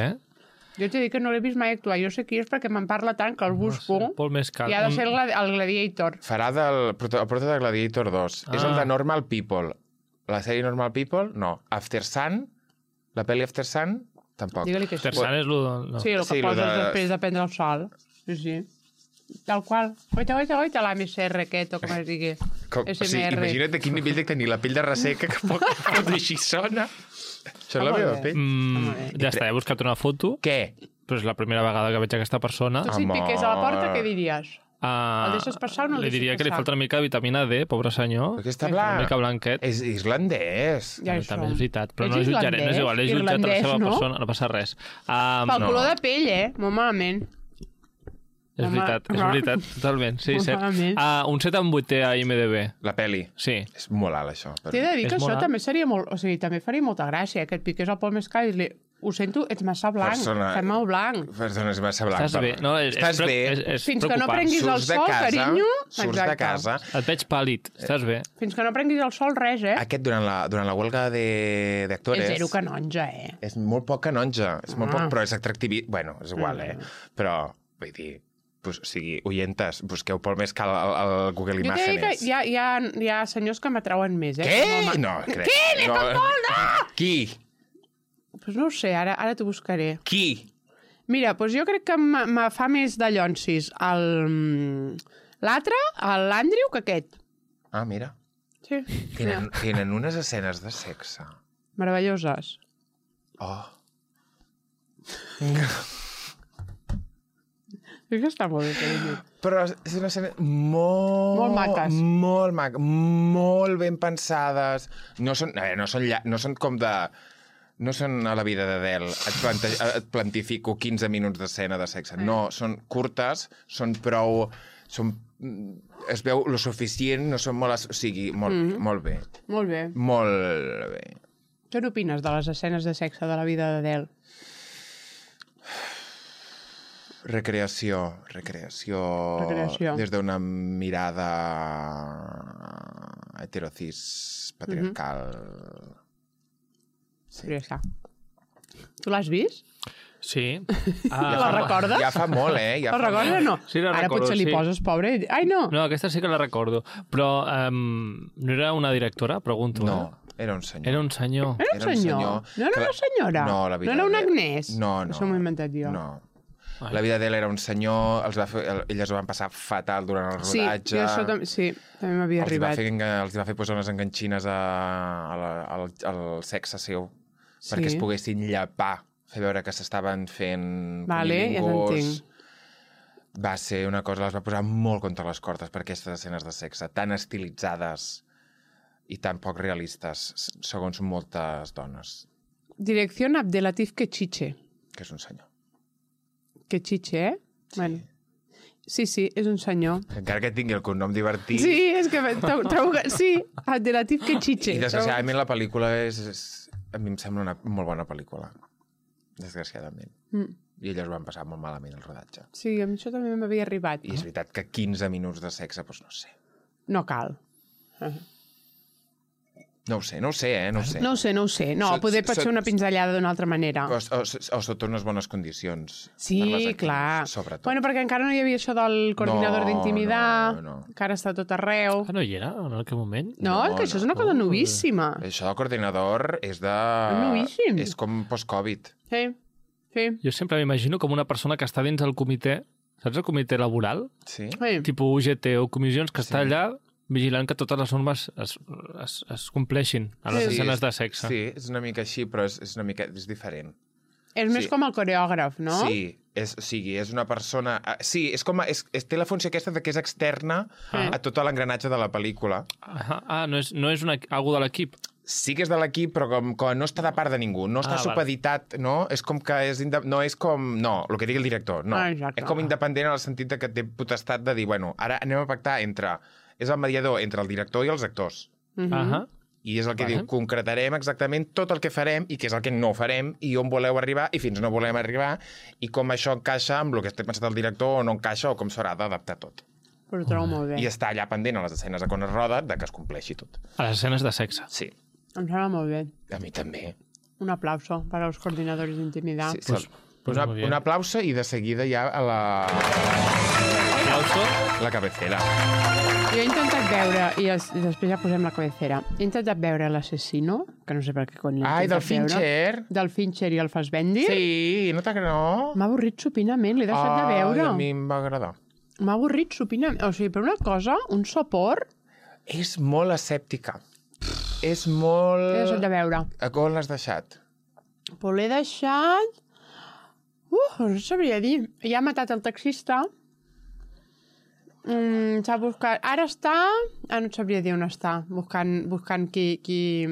B: Jo t'he dit que no l'he vist mai actuar. Jo sé qui és perquè me'n parla tant que el busco.
C: Pol Mescal.
B: I ha de ser el Gladiator.
A: Farà el prota de Gladiator 2. És el de Normal People. La sèrie Normal People, no. After Sun, la pel·li After Sun, tampoc.
B: Digue-li que sí.
C: Terçant és el... No.
B: Sí, el que
A: Sí, lo
B: poses
A: de-
B: després de prendre el sol. Sí, sí. Tal qual. Oita, l'AMSR aquest, o com es digui.
A: O sigui,
B: SMR.
A: imagina't de quin nivell de tenir la pell de resseca que pot així sona. Això és la
B: molt
A: meva
B: bé.
A: pell.
C: Ja està, he buscat una foto,
A: Què?
C: però és la primera vegada que veig aquesta persona.
B: Tu si et piqués a la porta, què diries? El deixes passar o no el
C: Li
B: deixes
C: diria que li
B: passar?
C: falta una mica de vitamina D, pobre senyor.
A: Perquè està
C: Una
A: blanc.
C: mica blanquet.
A: És islandès.
B: Ja
C: També,
B: això.
C: també és veritat, però
B: Ets
C: no el jutjaré, no és igual, he jutjat a la
B: irlandès,
C: seva
B: no?
C: persona, no passa res.
B: Pel
A: no.
B: color de pell, molt malament.
C: És
B: Home,
C: veritat, totalment, sí,
B: Molt
C: cert.
B: malament.
C: Un 7 amb 8 a IMDB,
A: La peli.
C: sí.
A: És molt alt, això. Però...
B: T'he de dir
C: És
B: que això
C: molt alt.
B: també seria molt... O sigui, també faria molta gràcia, que et piqués el Pol Mescal i li... Ho sento, ets massa blanc. Fem molt blanc.
A: Persona és massa blanc.
C: Estàs bé, no?
A: Estàs bé.
C: És
B: Fins que no
C: preocupant.
B: prenguis el
A: Surts de
B: sol,
A: casa,
B: carinyo.
A: surts de casa.
C: Et veig pàl·lid, estàs bé.
B: Fins que no prenguis el sol, res,
A: Aquest, durant la huelga d'actores...
B: És zero canonja,
A: És molt poc canonja. És molt poc,
B: Ah.
A: però és atractivi... Bueno, és igual, Però, vull dir... Pues, o sigui, oientes, busqueu Pol Mescal al Google
B: Jo t'he dit que
A: Imágenes.
B: hi ha senyors que m'atrauen més,
A: Què? No, crec.
B: Què?
A: No. Qui?
B: Pues no ho sé, ara t'ho buscaré.
A: Qui?
B: Mira, doncs jo crec que me fa més de llonsis l'altre, l'Andrew, que aquest.
A: Ah, mira.
B: Sí.
A: Tenen unes escenes de sexe.
B: Meravelloses.
A: Oh.
B: És que està molt bé, carinyo.
A: Però és una escena molt
B: maques.
A: Molt ben pensades. No són, no són com de... No són a la vida d'Adele. Et plantifico 15 minuts d'escena de sexe. No, són curtes, són prou... Es veu lo suficient, no són molt... O sigui, molt bé.
B: Molt bé.
A: Molt bé.
B: Què n'opines de les escenes de sexe de la vida d'Adele?
A: Recreació.
B: Recreació.
A: Des d'una mirada heterocis patriarcal.
B: Sí. Ja està. Tu l'has vist?
C: Sí.
B: La recordes?
A: Ja fa molt,
B: La recordes o no?
C: Sí, la
B: Ara
C: recordo,
B: potser li
C: sí.
B: poses, pobre. Ai, no.
C: No, aquesta sí que la recordo. Però no era una directora, pregunto.
A: No, era un senyor.
C: Era un senyor.
B: Era un senyor. No era una senyora?
A: No, la vida
B: No era una
A: d'Adele.
B: Agnès?
A: No.
B: Això m'ho he inventat jo.
A: No. La vida d'ell era un senyor, elles ho van passar fatal durant el rodatge.
B: Sí, això també m'havia arribat.
A: Els va fer posar unes enganxines al sexe seu, perquè es poguessin llapar, fer veure que s'estaven fent
B: Vale, ja
A: cunilingus.
B: t'entenc.
A: Va ser una cosa, les va posar molt contra les cordes per aquestes escenes de sexe, tan estilitzades i tan poc realistes, segons moltes dones,
B: Direcció Abdelatif Kechiche.
A: que és un senyor.
B: Kechiche, Bueno. Sí, és un senyor.
A: Encara que tingui el cognom divertit.
B: Sí, és que trobo que... Sí, Abdelatif Kechiche.
A: I desgraciadament la pel·lícula a mi em sembla una molt bona pel·lícula. Desgraciadament. I elles ho van passar molt malament, el rodatge.
B: Sí, a mi això també m'havia arribat.
A: I és veritat que 15 minuts de sexe, doncs no sé.
B: No cal.
A: No ho sé. No ho sé.
B: No, poder pot ser una pinzellada d'una altra manera.
A: O sota unes bones condicions.
B: Sí,
A: per les actrius,
B: clar.
A: Sobretot.
B: Bueno, perquè encara no hi havia això del coordinador d'intimidar,
A: no.
B: que ara està tot arreu.
C: Ah, no hi era en aquell moment?
B: No, és que això és una cosa novíssima.
A: Això del coordinador és de...
B: Novíssim.
A: És com post-Covid.
B: Sí.
C: Jo sempre m'imagino com una persona que està dins el comitè, saps el comitè laboral?
A: Sí?
B: Sí.
C: Tipus UGT o comissions, que està allà vigilant que totes les normes es compleixin a les escenes de sexe.
A: Sí, és una mica així, però és diferent.
B: És més com el coreògraf, no?
A: Sí, és una persona... Sí, té la funció aquesta de que és externa a tot l'engranatge de la pel·lícula.
C: No és algú de l'equip?
A: Sí que és de l'equip, però com no està de part de ningú. No està supeditat, no? És com que no és com... No, el que digui el director, no. És com independent en el sentit que té potestat de dir, bueno, ara anem a pactar entre... És el mediador entre el director i els actors. I és el que diu, concretarem exactament tot el que farem i què és el que no farem i on voleu arribar i fins no volem arribar i com això encaixa amb el que té pensat el director o no encaixa o com s'haurà d'adaptar tot.
B: Però ho trobo molt bé.
A: I està allà pendent a les escenes de quan es roda de que es compleixi tot.
C: A les escenes de sexe.
A: Sí.
B: Em sembla molt bé.
A: A mi també.
B: Un aplauso per als coordinadors d'intimidad.
A: Sí, un aplauso i de seguida ja a la...
C: Aplauso.
A: La cabecera.
B: Jo he intentat veure, i després ja posem la cabecera, he intentat veure l'Assassino, que no sé per què cony l'he intentat
A: del Fincher.
B: Del Fincher i el Fassbender.
A: Sí, no que no?
B: M'ha avorrit supinament, l'he deixat de veure.
A: A mi em va agradar.
B: M'ha avorrit supinament. O sigui, per una cosa, un sopor...
A: És molt escèptica. És molt...
B: L'he deixat de veure.
A: A on l'has deixat?
B: Però l'he deixat... no sabria dir. Ja ha matat el taxista. S'ha buscat... Ara està... no et sabria dir on està. Buscant qui...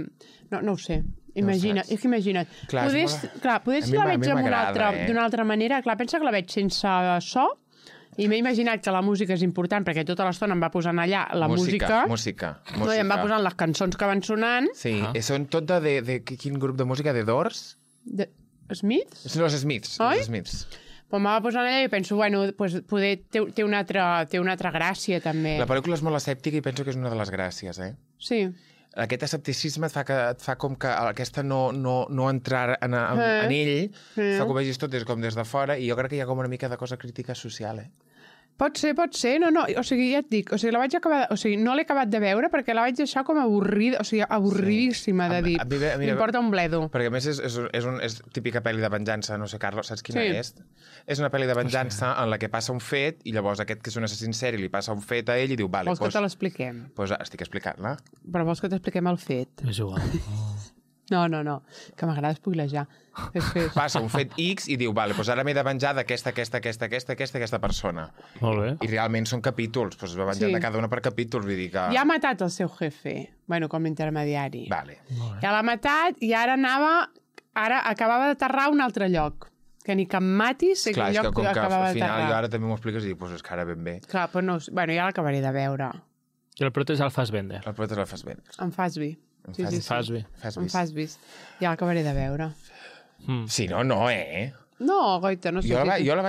B: No ho sé. Imagina't.
A: Clar,
B: poder si la veig d'una altra manera... Clar, pensa que la veig sense so i m'he imaginat que la música és important perquè tota l'estona em va posant allà la música.
A: Música.
B: No, i em va posant les cançons que van sonant.
A: Sí, són tot de quin grup de música? De Doors?
B: De Smiths?
A: Són els Smiths.
B: Oi?
A: Els Smiths.
B: Però m'ha posat allà i penso, bueno, pues, poder té una altra gràcia, també.
A: La pel·lícula és molt escèptica i penso que és una de les gràcies, eh?
B: Sí.
A: Aquest escepticisme et fa com que aquesta no entrar en ell, fa que ho vegis tot com des de fora, i jo crec que hi ha com una mica de cosa crítica social, eh?
B: Pot ser. No. O sigui, ja et dic, la vaig acabar... O sigui, no l'he acabat de veure perquè la vaig deixar com avorrida, o sigui, avorridíssima de dir. M'importa un bledo.
A: Perquè a més és típica pel·li de venjança, no sé, Carlos, saps quina és? És una pel·li de venjança en la que passa un fet i llavors aquest que és un assassí seri li passa un fet a ell i diu, vale,
B: vols que te l'expliquem?
A: Doncs estic explicant-la.
B: Però vols que t'expliquem el fet?
C: És igual.
B: No, que m'agrada spoilejar.
A: Passa un fet X i diu, vale, doncs ara m'he de venjar d'aquesta persona.
C: Molt bé.
A: I realment són capítols, doncs es va venjar de cada una per capítols, vull dir que...
B: Ja ha matat el seu jefe, bueno, com a intermediari.
A: Vale.
B: Ja l'ha matat i ara acabava d'aterrar a un altre lloc. Que ni que em matis, sé
A: clar,
B: que lloc acabava d'aterrar.
A: Al final jo ara també m'ho expliques i dic, doncs és que ara ben bé.
B: Clar, però no, bueno, ja l'acabaré de veure.
C: I el prota és el Fassbender.
A: El prota és el Fassbender.
B: En Fassby.
C: Fassby.
B: Ja l'acabaré de veure.
A: Sí, no, eh?
B: No, goita, no sé.
A: Jo la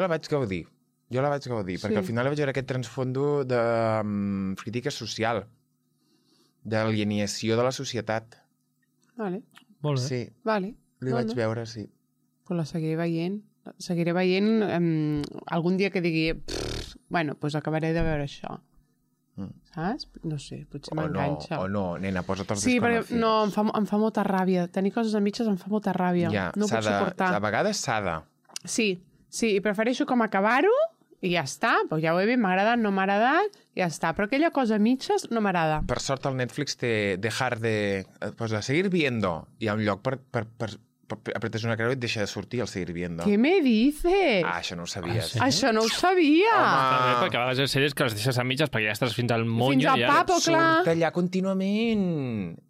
A: vaig gaudir. Perquè al final vaig veure aquest transfondo de crítica social, d'alienació de la societat.
B: Vale.
C: Molt bé.
A: Sí,
B: vale.
A: li vaig veure, sí.
B: Però la seguiré veient. Algun dia que digui bueno, doncs acabaré de veure això. Saps? No sé, potser m'enganxa.
A: O no, nena, posa't els
B: sí, perquè no, em fa molta ràbia. Tenir coses a mitges em fa molta ràbia.
A: Ja,
B: no ho puc suportar.
A: A vegades s'ha de.
B: Sí, i prefereixo com acabar-ho i ja està. Pues ja ho he vist, m'ha agradat, no m'ha agradat, ja està. Però aquella cosa a mitges no m'agrada.
A: Per sort el Netflix té dejar de... Pues a seguir viendo. Hi ha un lloc per apretes una creu i et deixa de sortir el seguir viendo.
B: Què me dices?
A: Això no ho sabies.
B: Sí? Això no ho sabia.
C: Home, perquè a vegades hi ha sèries que les deixes a mitges perquè ja estàs fins al monyo.
B: Fins al papo, clar.
A: Surt allà contínuament.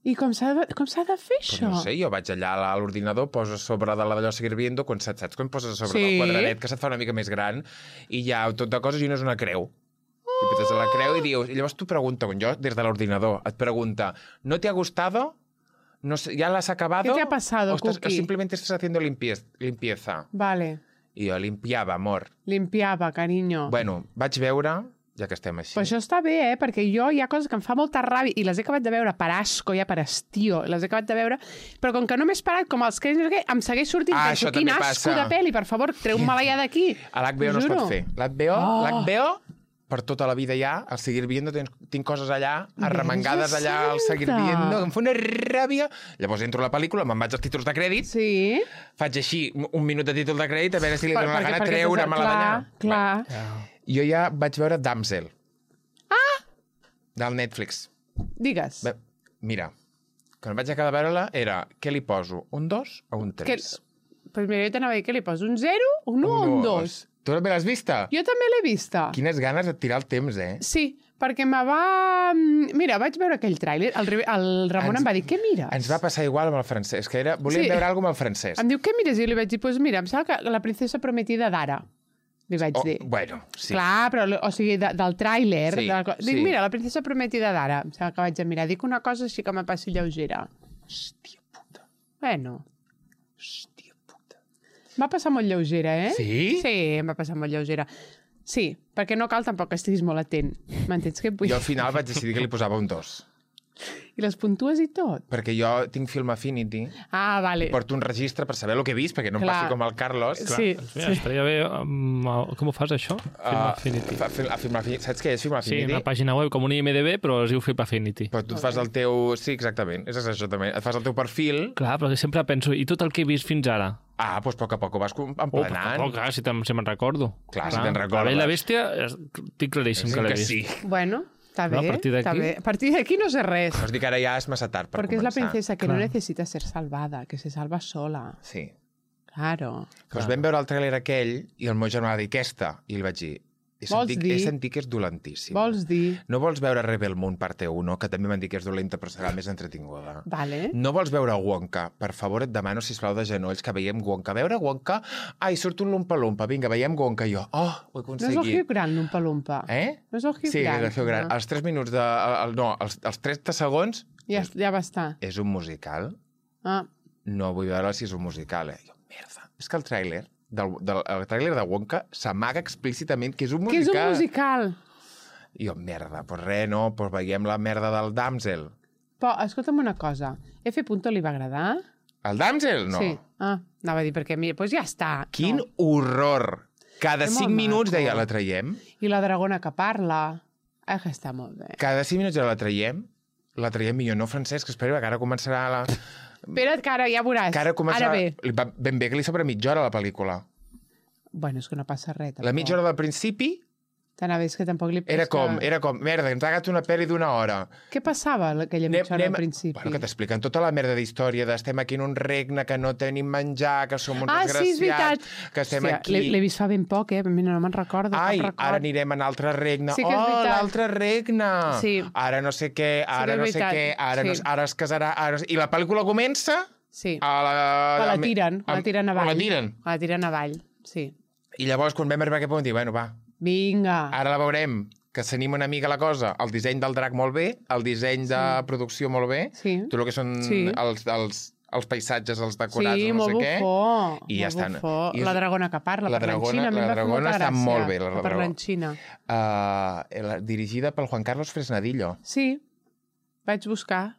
B: I com s'ha de fer això?
A: No sé, jo vaig allà a l'ordinador, poso sobre de d'allò seguir viendo, quan saps quan poses a sobre del quadradet que se't fa una mica més gran i hi ha tot de coses i una és una creu. I apretes a la creu i dius... I llavors tu pregunta, jo des de l'ordinador, et pregunta, ¿no te ha gustado? No sé, ¿ya la has acabado?
B: ¿Qué te ha pasado, Cookie?
A: O simplemente estás haciendo limpieza.
B: Vale.
A: I jo limpiava, amor.
B: Limpiava, carinyo.
A: Bueno, vaig veure, ja que estem així.
B: Però això està bé, perquè jo hi ha coses que em fa molta ràbia i les he acabat de veure per asco, ja per estío, les he acabat de veure, però com que no m'he esperat, com els que em segueix sortint, penso, quin asco de pel·li, per favor, treu-me-la ja d'aquí.
A: A l'HBO no es pot fer. L'HBO per tota la vida ja, al seguir viendo, tinc coses allà, arremangades allà, al seguir viendo, em fa una ràbia. Llavors entro a la pel·lícula, me'n vaig als títols de crèdit, faig així un minut de títol de crèdit, a veure si li dono la gana treure-me-la d'allà.
B: Clar.
A: Jo ja vaig veure Damsel. del Netflix.
B: Digues.
A: Bé, mira, quan vaig acabar de veure-la era què li poso, un 2 o un 3?
B: Pues mira, jo t'anava a dir que li poso un 0, un 1 o un 2.
A: Tu també l'has vista?
B: Jo també l'he vista.
A: Quines ganes de tirar el temps,
B: Sí, perquè me va... Mira, vaig veure aquell tràiler, el Ramon em va dir, què mires?
A: Ens va passar igual amb el francès, que volíem veure alguna cosa amb el francès.
B: Em diu, què mires? I jo li vaig dir, pues mira, em sembla que la princesa prometida d'ara. Li vaig dir.
A: Bueno, sí.
B: Clar, però, o sigui, del tràiler.
A: Sí,
B: Dic, mira, la princesa prometida d'ara. Em sembla que vaig a mirar. Dic una cosa així que me passi lleugera.
A: Hòstia puta.
B: Bueno.
A: Hòstia puta.
B: M'ha passat molt lleugera, eh?
A: Sí?
B: Sí, m'ha passat molt lleugera. Sí, perquè no cal tampoc que estiguis molt atent. M'entens què et vull dir?
A: Jo al final vaig decidir que li posava un 2.
B: I les puntues i tot?
A: Perquè jo tinc Film Affinity,
B: Ah, vale.
A: porto un registre per saber el que he vist, perquè no em
B: Clar.
A: passi com el Carlos.
B: Sí,
C: Doncs mira, estaria bé... Com ho fas, això? Film Affinity.
A: Film Affinity. Saps què és Film
C: Sí,
A: Affinity?
C: una pàgina web com un IMDB, però es diu Film Affinity.
A: Però tu et fas el teu... Sí, exactament. És això també. Et fas el teu perfil.
C: Clar, però sempre penso, i tot el que he vist fins ara?
A: Ah, doncs a poc ho vas
C: Oh,
A: emplenant.
C: clar, si me'n recordo.
A: Clar, si te'n recordes.
C: La Bella i la Bèstia, estic claríssim que l'he vist.
A: sí.
B: Bueno, està
C: No,
B: bé.
C: a partir d'aquí-
B: està bé. A partir d'aquí no sé res.
A: Vols dir que ara ja és massa tard per
B: Porque es la
A: començar.
B: princesa que
C: Clar.
B: no necesita ser salvada, que se salva sola.
A: Sí.
B: Claro.
A: Doncs vam veure el tràiler aquell i el meu germà va dir, aquesta? I li vaig dir, he sentit que és dolentíssim.
B: Vols dir...
A: No vols veure Rebel Moon parte 1, que també m'han dit que és dolenta però serà més entretinguda.
B: Vale.
A: No vols veure Wonka? Per favor, et demano, sisplau, de genolls, que veiem Wonka. Veure Wonka? Ai, surt un lumpa-lumpa. Vinga, veiem Wonka. I jo, ho he
B: No és el
A: aconseguit.
B: Hugh Grant, l'umpa-lumpa.
A: Eh?
B: No és el Hugh
A: Sí,
B: Grant.
A: el Hugh Grant.
B: No.
A: Els 3 minuts de... els 30 segons
B: Ja va estar.
A: és un musical.
B: Ah,
A: No vull veure si és un musical. Jo, merda. És que el tràiler el tràiler de Wonka s'amaga explícitament que és un
B: que és
A: musical.
B: un musical.
A: I jo, merda, doncs res, no, doncs veiem la merda del Damsel.
B: Però, escolta'm una cosa. F. li va agradar?
A: El Damsel? No.
B: Sí. Ah, anava a dir, perquè mira, doncs ja està.
A: Quin
B: No.
A: horror! Cada
B: És
A: 5
B: molt
A: minuts
B: maco.
A: deia, la traiem?
B: I la dragona que parla. Ah, que està molt bé.
A: Cada 5 minuts la traiem millor. No, Francesc, espera, que ara començarà la...
B: Espera't, que ara ja veuràs.
A: Que ara començarà...
B: Ara bé.
A: Ben bé que li sobra mitja hora, la pel·lícula.
B: Bueno, és que no passa res.
A: La mitja hora del principi
B: T'anava a dir que tampoc li...
A: era com, merda, ens ha agat una pel·li d'una hora.
B: Què passava aquella mitja hora al principi?
A: Bueno, que t'expliquen tota la merda d'història d'estem aquí en un regne, que no tenim menjar, que som uns
B: Ah, sí, és veritat.
A: desgraciats, que estem
B: Hòstia,
A: aquí...
B: L'he vist fa ben poc, Mira, no me'n recordo.
A: Ai,
B: cap record.
A: ara anirem a un altre regne.
B: Sí que és
A: Oh,
B: veritat.
A: l'altre regne!
B: Sí.
A: Ara no sé què, ara
B: que és
A: no sé
B: veritat.
A: què, ara,
B: Sí.
A: ara es casarà... Ara... I la pel·lícula comença...
B: Sí.
A: A
B: la tiren avall.
A: La tiren.
B: La tiren avall, sí.
A: I llavors, quan vam arribar a aquest punt, dir, bueno, va,
B: Vinga.
A: ara la veurem, que s'anima una mica la cosa. El disseny del drac molt bé, el disseny de producció molt bé,
B: Sí.
A: tot el que són
B: Sí.
A: els paisatges, els decorats,
B: Sí,
A: no
B: molt
A: sé què.
B: bufó.
A: I ja
B: molt
A: estan.
B: bufó.
A: I és-
B: La dragona que parla,
A: la
B: parla en
A: dragona-
B: Xina. A mi
A: la
B: em va fer
A: dragona
B: molta
A: està
B: gràcia,
A: molt bé, la
B: que parla
A: dragona.
B: en Xina.
A: Dirigida pel Juan Carlos Fresnadillo.
B: Sí, vaig buscar,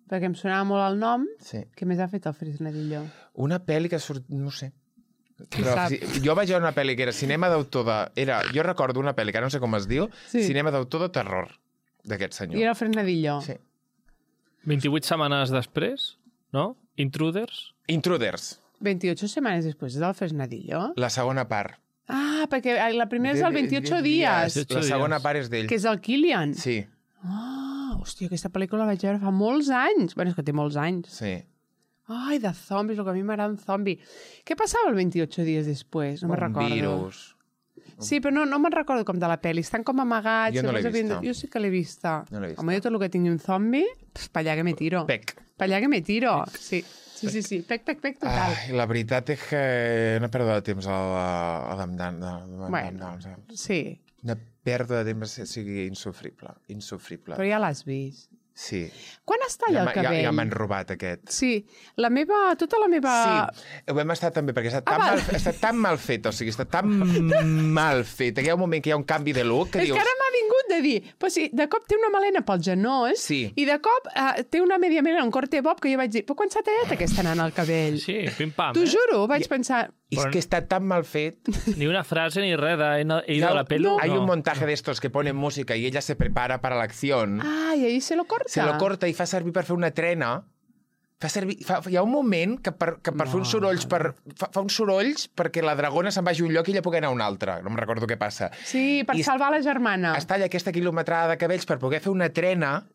B: perquè em sonava molt el nom.
A: Sí.
B: Què més ha fet el Fresnadillo?
A: Una pel·li que surt... No ho sé.
B: Qui
A: Però
B: sap?
A: jo vaig veure una pel·li que era cinema d'autor de... Jo recordo una pel·li que ara no sé com es diu,
B: Sí.
A: cinema d'autor de terror, d'aquest senyor.
B: I era el Fresnadillo.
A: Sí.
C: 28 setmanes després, no? Intruders.
A: Intruders,
B: 28 setmanes després del Fresnadillo.
A: la segona part.
B: Ah, perquè la primera és el 28 dies,
C: 28
A: La segona
C: dies.
A: part és d'ell.
B: que és el Kilian.
A: Sí,
B: Ah, hòstia, aquesta pel·lícula la vaig veure fa molts anys. Bueno, és que té molts anys.
A: sí.
B: Ai, de zombis, el que a mi m'agrada un zombi. Què passava el 28 dies després? No me'n recordo.
A: Un virus.
B: Sí, però no me'n recordo com de la pel·li. Estan com amagats.
A: Jo no l'he
B: llavors
A: vista.
B: Jo sí que l'he vista.
A: No l'he vista.
B: Home, jo tot el que tingui un zombi, pa allà que me tiro.
A: Pec.
B: Pa allà que me tiro. Sí, sí. Pec, total.
A: Ai, la veritat és que una pèrdua de temps
B: Bueno. Sí,
A: Una pèrdua de temps, o sigui, insufrible.
B: però ja l'has vist.
A: Sí.
B: Quan es talla el cabell?
A: Ja m'han robat aquest.
B: Sí, tota la meva...
A: Sí, ho hem estat també, perquè està tan,
B: val.
A: està tan mal fet, o sigui, està tan mal fet, que hi ha un moment que hi ha un canvi de look que
B: És
A: dius...
B: que ara m'ha vingut de dir, però sí, de cop té una melena pels genolls
A: Sí.
B: i de cop té una media melena, un corte bob, que jo vaig dir, però quan s'ha tallat aquesta nana al cabell?
C: Sí, pim-pam.
B: T'ho juro, vaig pensar...
A: És que està tan mal fet.
C: Ni una frase ni res de la pelo.
A: Hay un montaje de estos que ponen música y ella se prepara para la acción.
B: Ah, i ahí se lo corta.
A: Se lo corta i fa servir per fer una trena Hi ha un moment que per fer uns sorolls, fa uns sorolls perquè la dragona se'n vagi a un lloc i ella pugui anar a un altre. No em recordo què passa.
B: Sí, per salvar la germana.
A: Es talla aquesta quilometrada de cabells per poder fer una trena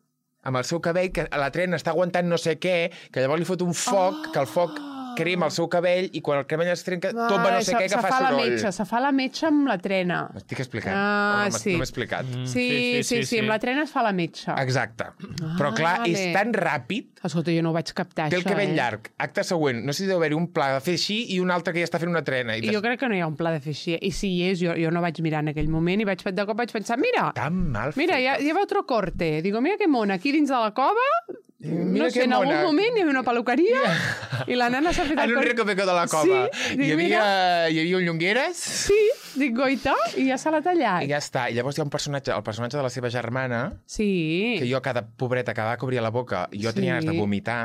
A: amb el seu cabell, que la trena està aguantant no sé què, que llavors li fot un foc, que el foc crema el seu cabell i quan el cabell es trenca tomba no sé què que fa soroll.
B: Se fa la metxa amb la trena.
A: M'estic explicant?
B: Sí.
A: No m'he explicat?
B: Sí, amb la trena es fa la metxa.
A: Exacte. Però clar, és tan ràpid.
B: Escolta, jo no ho vaig captar,
A: té el cabell llarg. Acte següent. No sé si deu haver-hi un pla de fer així i un altre que ja està fent una trena.
B: Jo crec que no hi ha un pla de fer així. I si hi és, jo no vaig mirar en aquell moment i de cop vaig pensar, mira, ja va otro corte. Digo, mira que mona, aquí dins de la cova, no sé, en algun moment hi havia una peluqueria i la nana s'ha fet
A: en un recoveco de la cova.
B: Sí,
A: hi havia un Llongueres.
B: Sí, dic, goita, i ja se l'ha tallat.
A: I ja està. I llavors hi ha un personatge, el personatge de la seva germana, que jo, cada pobreta, cada que obria la boca, jo tenia ganes de vomitar.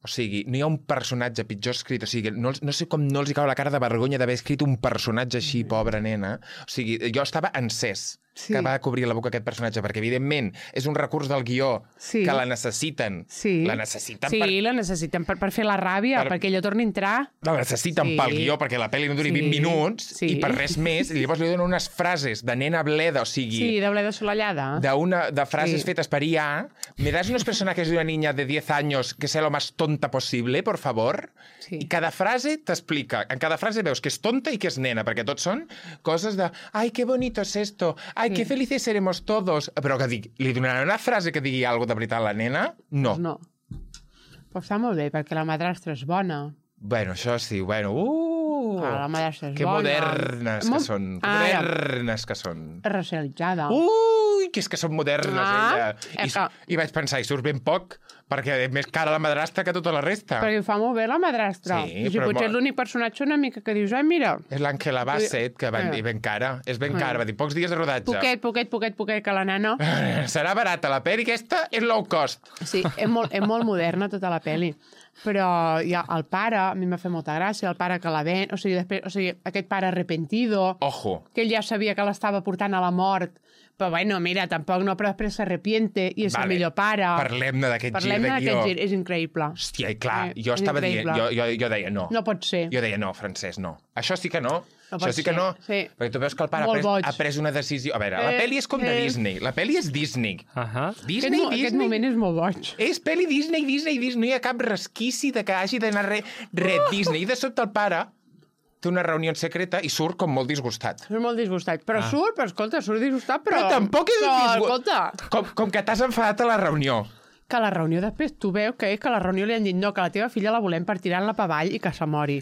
A: O sigui, no hi ha un personatge pitjor escrit. O sigui, no sé com no els hi cau la cara de vergonya d'haver escrit un personatge així, pobra nena. O sigui, jo estava encès que va cobrir la boca aquest personatge, perquè, evidentment, és un recurs del guió que la necessiten. La necessiten
B: per fer la ràbia, perquè ella torni a entrar.
A: La necessiten pel guió, perquè la pel·li no duri 20 minuts i per res més. I llavors li donen unes frases de nena bleda, o sigui...
B: Sí, de bleda solallada.
A: De frases fetes per IA. ¿Me das unos personajes de una niña de 10 años que sea lo más tonta posible, por favor? I cada frase t'explica. En cada frase veus que és tonta i que és nena, perquè tots són coses de «Ai, qué bonito es esto! Ai, qué felices seremos todos!» Però que dic, li donaran una frase que digui alguna cosa de veritat a la nena? No.
B: No. Però està molt bé, perquè la madrastra és bona.
A: Bueno, això sí, bueno...
B: La madrastra és
A: que
B: bona.
A: Modernes que són. Modernes que són.
B: Racialitzada.
A: Ui, que és que són modernes, ella. I vaig pensar, i surt ben poc, perquè és més cara la madrastra que tota la resta.
B: Perquè ho fa molt bé la madrastra.
A: Sí,
B: i si potser és l'únic personatge una mica que dius, ai, mira...
A: És l'Àngela Bassett, que van dir ben cara. És ben cara, va dir, pocs dies de rodatge.
B: Poquet, que la nena...
A: Serà barata la pel·li, aquesta és low cost.
B: Sí, és molt moderna tota la pel·li. Però ja, el pare, a mi m'ha fet molta gràcia, el pare que la ven... O sigui, aquest pare arrepentido...
A: Ojo.
B: Que ell ja sabia que l'estava portant a la mort, però bueno, mira, tampoc no, però després s'arrepiente i és el millor pare.
A: Parlem-ne d'aquest gir de guió.
B: Gir, és increïble.
A: Hòstia, i clar, jo estava dient, jo deia no.
B: No pot ser.
A: Jo deia no, Francesc, no. Això sí que no. Això sí que no.
B: Sí.
A: Perquè tu veus que el pare ha pres una decisió... A veure, la pel·li és com de Disney. La pel·li és Disney. Disney.
B: Aquest moment és molt boig.
A: És pel·li Disney. No hi ha cap resquici de que hagi d'anar res Disney. I de sobte el pare té una reunió secreta i surt com molt disgustat.
B: Surt molt disgustat. Però surt disgustat, però...
A: Però tampoc és disgustat. Com que t'has enfadat a la reunió.
B: Que a la reunió després tu veus que és que a la reunió li han dit no, que la teva filla la volem per tirar-la per avall i que se mori.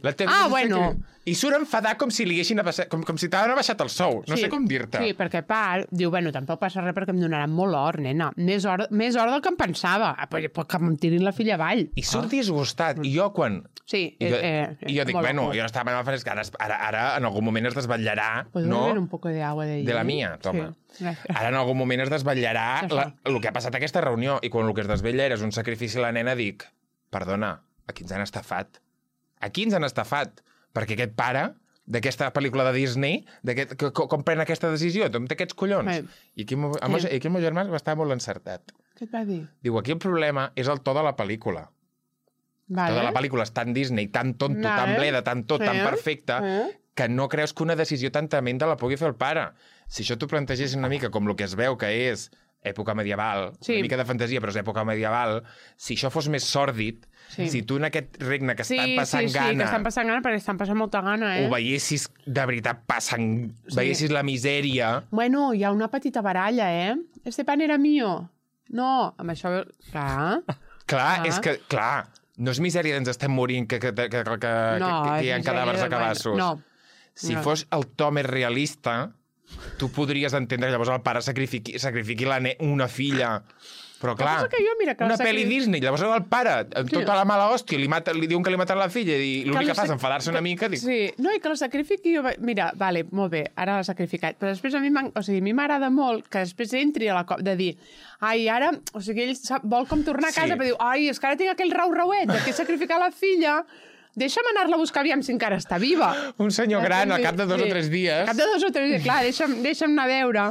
B: Bueno.
A: I surt enfadat com si li haguessin com si t'havien baixat el sou. No sé com dir-te.
B: Sí, perquè diu, bueno, tampoc passa res perquè em donaran molt or, nena. Més or del que em pensava. Però que em tirin la filla avall.
A: I surt disgustat. I jo quan...
B: Sí.
A: I jo dic, bueno, jo no estava en el fresc, ara en algun moment es desvetllarà...
B: ¿Puedo beber un poco de agua de allí?
A: De la mia, toma. Sí. Ara en algun moment es desvetllarà el que ha passat a aquesta reunió. I quan el que es desvetlla és un sacrifici a la nena, dic, perdona, aquí ens han estafat. Aquí ens han estafat. Perquè aquest pare d'aquesta pel·lícula de Disney, com pren aquesta decisió? Té aquests collons. I aquí el meu germà va estar molt encertat.
B: Què et va dir?
A: Diu, aquí el problema és el to de la pel·lícula. Tota la pel·lícula és tan Disney, tan tonto, tan bleda, tan tan perfecta, que no creus que una decisió tan tremenda la pugui fer el pare. Si això t'ho plantegessis una mica com el que es veu que és època medieval, una mica de fantasia, però és època medieval, si això fos més sòrdid, si tu en aquest regne que estan passant gana...
B: Sí, que estan passant gana, perquè estan passant molta gana,
A: ho veiessis de veritat passant... Veiessis la misèria...
B: Bueno, hi ha una petita baralla, Este pan era mío. No, amb això... Clar.
A: És que, clar, no és misèria d'ens estem morint que hi ha cadàvers a cabassos.
B: No.
A: Si fos el to més realista, tu podries entendre que llavors el pare sacrifiqui una filla... Però clar, una pel·li Disney, llavors el pare, amb tota la mala hòstia, li diuen que li maten la filla i l'únic que fa és enfadar-se una mica.
B: Sí, no, i que la sacrifiqui... Mira, vale, molt bé, ara l'ha sacrificat. Però després a mi m'agrada molt que després entri a la cop de dir ai, ara... O sigui, ell vol com tornar a casa, però diu, ai, és que ara tinc aquell rau-rauet de que he sacrificat la filla... Deixa'm anar-la a buscar, aviam si encara està viva.
A: Un senyor gran, al cap de 2 o 3 dies.
B: Al cap de 2 o 3 dies, clar, deixa'm anar a veure.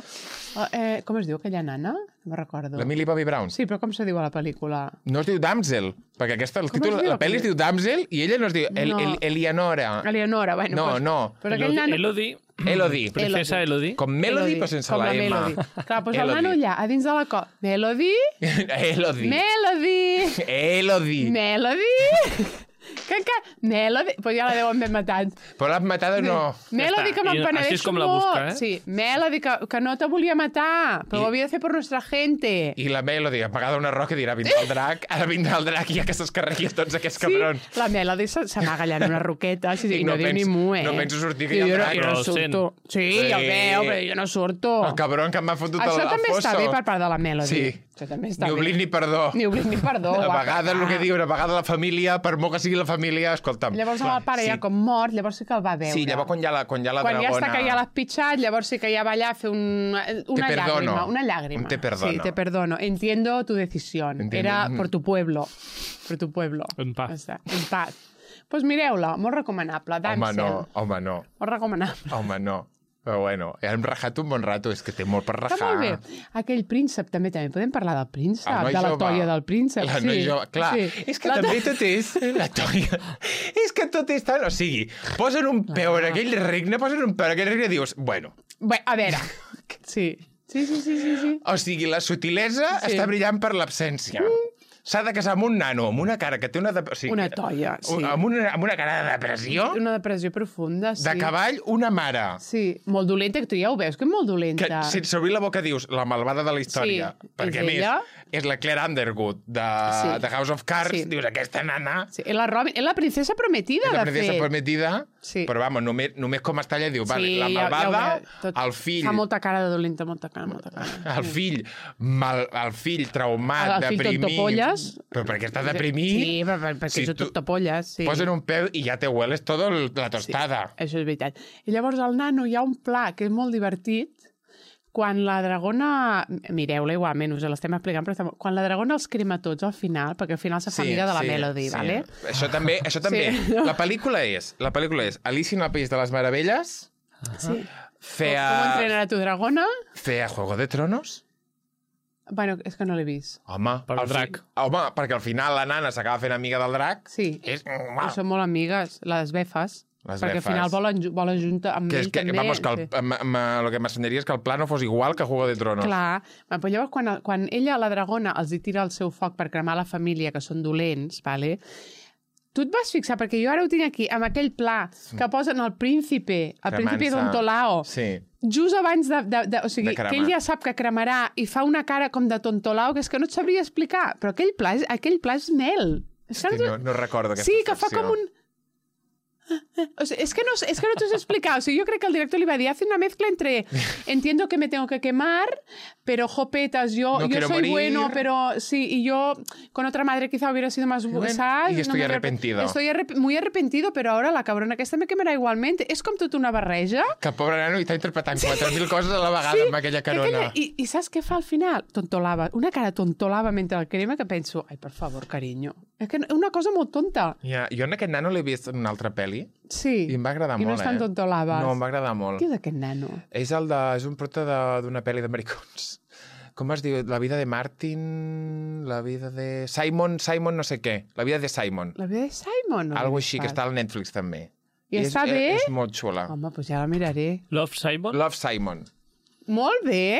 B: Com es diu aquella nana? No me'n recordo.
A: La Millie Bobby Brown.
B: Sí, però com se diu a la pel·lícula?
A: No es diu Damsel, perquè el títol, la pel·li es diu Damsel i ella no es diu Eleonora.
B: Eleonora, bueno.
A: No.
B: Però aquell nano...
A: Elodie.
C: Princesa Elodie.
A: Com Melody, però sense la M.
B: Clar, doncs el nano allà, a dins de la Melody? Melody! Pues ja la deuen haver matat.
A: Però l'han matat o no?
B: Melody, que me'n penedeixo
C: així és com la busca,
B: molt. Sí, Melody, que no te volia matar, però ho havia de fer per nuestra gente.
A: I la Melody, apagada una roca, dirà, vindrà el drac, ara vindrà el drac i ja que s'escarregui tots aquests cabrons.
B: Sí, la Melody s'amaga allà en una roqueta, i no diu ni mu,
A: No penso sortir, que hi ha el drac.
B: Jo no surto. Sí, ja ho veu, però jo no surto.
A: El cabron que m'ha fotut al fosso.
B: Això també està bé per part de la Melody.
A: Sí.
B: Això també està
A: bé. Ni oblit ni perdó.
B: Ni oblit ni perdó.
A: A vegades el que diuen, a vegades la família, per molt que sigui la família, escolta'm.
B: Llavors el pare ja com mort, llavors sí que el va veure.
A: Sí, llavors quan ja la dragona...
B: Quan ja està que ja l'has pitjat, llavors sí que ja va allà a fer una llàgrima. Una llàgrima.
A: Te perdono.
B: Sí, te perdono. Entiendo tu decisión. Era por tu pueblo. Por tu pueblo.
C: En paz.
B: En paz. Pues mireu-la, molt recomanable. Damsel.
A: Home, no.
B: Molt recomanable.
A: Home, no. Però bueno, hem rajat un bon rato, és que té molt per rajar.
B: Està molt bé. Aquell príncep, també podem parlar del príncep, de la toia del príncep.
A: La noi jove, clar. Sí. És que també tot és... La toia... És que tot és tan... O sigui, posen un peu en aquell regne, i dius, bueno...
B: Bé, a veure... Sí.
A: O sigui, la sutilesa està brillant per l'absència. S'ha de casar amb un nano, amb una cara que té una... O sigui,
B: una toia, sí.
A: Amb una cara de depressió.
B: Una depressió profunda, sí.
A: De cavall, una mare.
B: Sí, molt dolenta, que tu ja ho veus, que és molt dolenta.
A: Que sense obrir la boca dius, la malvada de la història.
B: Sí,
A: perquè, a més, és la Claire Underwood de House of Cards. Sí. Dius, aquesta nana...
B: Sí, és la princesa prometida, de fet.
A: És la princesa prometida,
B: sí.
A: Però, vamos, només com està allà, diu, vale, la malvada, el fill...
B: Fa molta cara de dolenta, molta cara.
A: El fill traumat, deprimit... Però perquè està deprimit...
B: Sí, perquè és tot topolles, sí.
A: Posen un peu i ja te hueles tota la tostada.
B: Sí, això és veritat. I llavors al nano hi ha un pla que és molt divertit, quan la dragona... Mireu-la igualment, us l'estem explicant, però quan la dragona els crema tots al final, perquè al final se fa amiga de la Melody, ¿vale?
A: Això també. Sí. La pel·lícula és Alicia en el País de les Meravelles,
B: sí. Com entrenar a tu dragona,
A: feia Juego de Tronos.
B: Bueno, és que no l'he vist.
A: Home,
C: el drac.
A: Home, perquè al final la nana s'acaba fent amiga del drac.
B: Sí, són molt amigues, les befes. Perquè al final volen junta amb ell també.
A: Vamos, que el que m'assenyaria és que el pla no fos igual que Juego de Tronos.
B: Clar, però llavors quan ella, la dragona, els hi tira el seu foc per cremar la família, que són dolents, vale? Tu et vas fixar, perquè jo ara ho tinc aquí, amb aquell pla que posen el príncipe Tontolao, just abans o sigui, que ell ja sap que cremarà i fa una cara com de Tontolao, que és que no et sabria explicar, però aquell pla és mel.
A: No recordo aquesta
B: Sí, que fa com un... O sea, es que no te os he explicado. O sea, yo creo que el director le iba a decir, hace una mezcla entre entiendo que me tengo que quemar, pero jopetas, yo soy morir. Bueno, pero sí, y yo con otra madre quizá hubiera sido más... ¿sabes?
A: Y estoy arrepentido.
B: Estoy muy arrepentido, pero ahora la cabrona aquesta me quemarà igualment. És com tota una barreja.
A: Que pobre nano, i està interpretant 4.000 coses a la vegada amb aquella carona.
B: I saps què fa al final? Tontolava. Una cara tontolava mentre el crema que penso, ai, per favor, carinyo. És que una cosa molt tonta.
A: Ja, jo en aquest nano l'he vist en una altra pel·li.
B: Sí.
A: I em va agradar molt,
B: I no és tan tontolaves.
A: No, em va agradar molt.
B: Qui és aquest nano?
A: És un prota d'una pel·li d'americans. Com es diu? La vida de Martin... La vida de... Simon no sé què. La vida de Simon.
B: La vida de Simon? No
A: algo així, que està al Netflix també.
B: I està bé?
A: És molt xula.
B: Home, doncs ja la miraré.
C: Love Simon?
A: Love Simon.
B: Molt bé!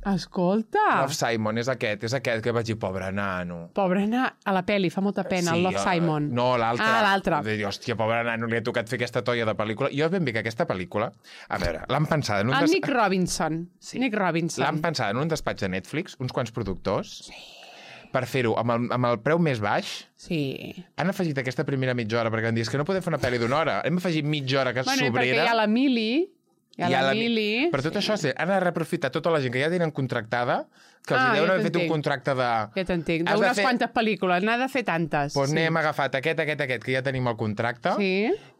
B: Escolta!
A: Love Simon, és aquest que vaig dir, pobre nano.
B: Pobre nano, a la pel·li, fa molta pena, sí, el Love Simon.
A: No, l'altre.
B: Ah, l'altre.
A: Hòstia, pobre nano, li ha tocat fer aquesta toia de pel·lícula. Jo ben bé que aquesta pel·lícula, a veure, l'han pensada en un...
B: Nick Robinson. Sí. Nick Robinson.
A: L'han pensada en un despatx de Netflix, uns quants productors, per fer-ho amb el preu més baix.
B: Sí.
A: Han afegit aquesta primera mitja hora, perquè han dit que no podem fer una pel·li d'una hora. Hem afegit mitja hora que és sobrera.
B: Perquè hi ha la Mili... Mili.
A: Per tot això, han de reaprofitar tota la gent que ja tenen contractada, que els deuen haver fet un contracte de...
B: Ja t'entenc, d'unes quantes pel·lícules, n'ha de fer tantes.
A: Doncs n'hem agafat aquest, que ja tenim el contracte,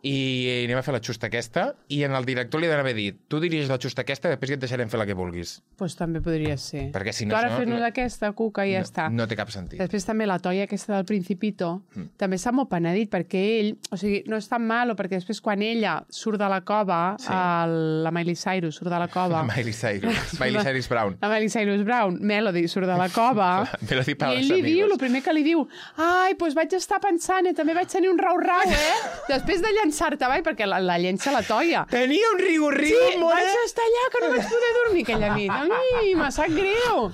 A: i anem a fer la xusta aquesta, i en el director li d'haver dit, tu dirigis la xusta aquesta, després ja et deixarem fer la que vulguis.
B: Pues també podria ser.
A: Perquè si no...
B: Tu ara
A: si no,
B: fes-nos aquesta, cuca, i ja està.
A: No té cap sentit.
B: Després també la toia aquesta del Principito, també està molt penedit, perquè ell, o sigui, no és tan malo, perquè després quan ella surt de la cova, la Miley Cyrus surt de la cova...
A: Miley Cyrus Brown.
B: La Miley Cyrus Brown, Melody, surt de la cova,
A: Melody
B: i ell li diu, el primer que li diu, ai, doncs vaig estar pensant, també vaig tenir un rau-rau, Després de llançar-te, perquè la llença la toia.
A: Tenia un riu-riu,
B: sí, vaig estar allà, que no vaig poder dormir aquella nit. Ai, me sap greu.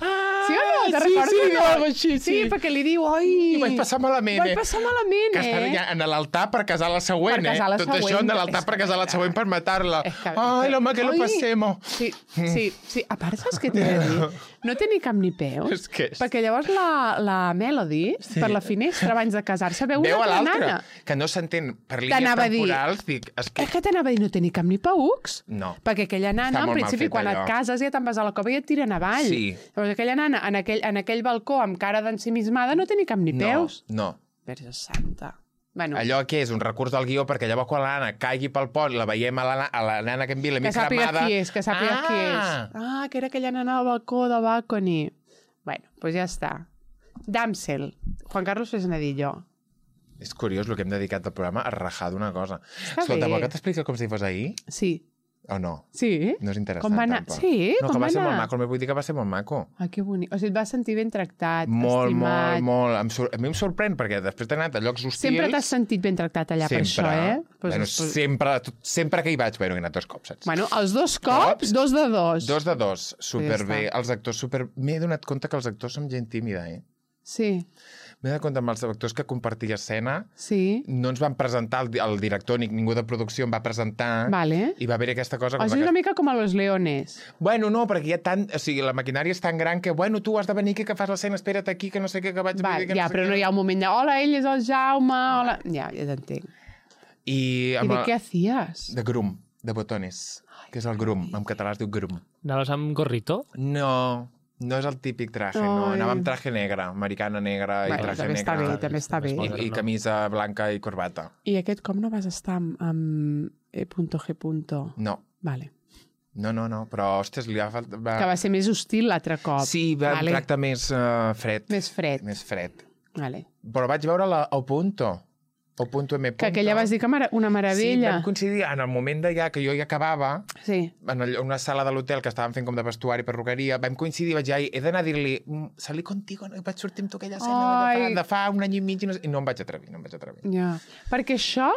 B: Sí o no? Te recordes?
A: Sí, algo així,
B: sí, perquè li diu, oi...
A: I vaig passar malament,
B: Vaig passar malament,
A: Que estava ja en l'altar per casar la següent,
B: Per casar la
A: Tot
B: següent.
A: això en l'altar per casar la següent per matar-la. Ai, l'home, que lo passemos.
B: Sí. A part, saps què t'he de dir? No té ni cap ni peus.
A: És que és...
B: Perquè llavors la Melody, per la finestra, abans de casar-se, veu una altra nana.
A: Que no s'entén per línies temporals. Dic,
B: és que t'anava a dir, no té ni cap ni paucs?
A: No.
B: Perquè aquella nana, en principi, quan et cases ja te'n vas a la cova i et tiren avall.
A: Sí.
B: Llavors aquella nana, en aquell balcó, amb cara d'ensimismada, no té ni cap ni peus.
A: No.
B: Verge santa. Bueno,
A: allò que és un recurs del guió perquè llavors quan la nana caigui pel pont la veiem a la nana que envia la mig cremada...
B: Que sàpiga qui és. Ah, que era aquella nana del balcó de Balcony. Bueno, doncs ja està. Damsel. Juan Carlos Fresnedillo.
A: És curiós el que hem dedicat al programa a rajar d'una cosa.
B: Està
A: Escolta,
B: bé.
A: vol que t'expliqui com si fos ahir?
B: Sí.
A: O no?
B: Sí?
A: No és interessant,
B: Com va anar?
A: tampoc.
B: Sí?
A: No,
B: com
A: que va ser
B: anar?
A: molt maco. Vull dir que va ser molt maco.
B: Ai, que bonic. O sigui, et vas sentir ben tractat,
A: Molt,
B: estimat.
A: molt. A mi em sorprèn perquè després d'haver anat a llocs hostils...
B: Sempre t'has sentit ben tractat allà per això,
A: Bueno, sempre que hi vaig, bueno, he anat 2 cops, saps?
B: Bueno, els 2 cops, 2 de 2.
A: 2 de 2, superbé.
B: Ja
A: Els actors super... M'he donat compte que els actors som gent tímida,
B: Sí.
A: M'he donat compte amb els actors que compartia escena,
B: Sí.
A: no ens van presentar, el director ni ningú de producció em va presentar,
B: Vale.
A: i va haver aquesta cosa...
B: O sigui, una mica com a Los Leones.
A: Bueno, no, perquè hi ha tant... O sigui, la maquinària és tan gran que, bueno, tu has de venir aquí, que fas l'escena, espera't aquí, que no sé què, que vaig...
B: Va,
A: dir, que
B: ja,
A: no sé
B: però
A: què.
B: no hi ha un moment de hola, ell és el Jaume, hola... Ja t'entenc.
A: I
B: de què hacías?
A: De grum, de botones, que és el grum. En català es diu grum.
C: Anaves amb gorrito?
A: No és el típic traje, no. Anava amb traje negre, americana negra i traje
B: també
A: negre.
B: està bé, també està bé.
A: I camisa blanca i corbata.
B: I aquest cop no vas estar amb E.G.
A: No.
B: Vale.
A: No, però, ostres, li va faltar...
B: Que va ser més hostil l'altre cop.
A: Sí, va un tracte més fred.
B: Més fred.
A: Més fred.
B: Vale.
A: Però vaig veure o punto. O punto M.
B: Que aquella vas dir que una meravella.
A: Sí, vam coincidir en el moment de que jo ja acabava,
B: sí.
A: En una sala de l'hotel que estàvem fent com de vestuari, perruqueria, vam coincidir, vaig dir, he d'anar a dir-li, salí contigo, no? Vaig sortir amb tu aquella escena de fa un any i mig, i no em vaig atrevir,
B: Ja. Perquè això,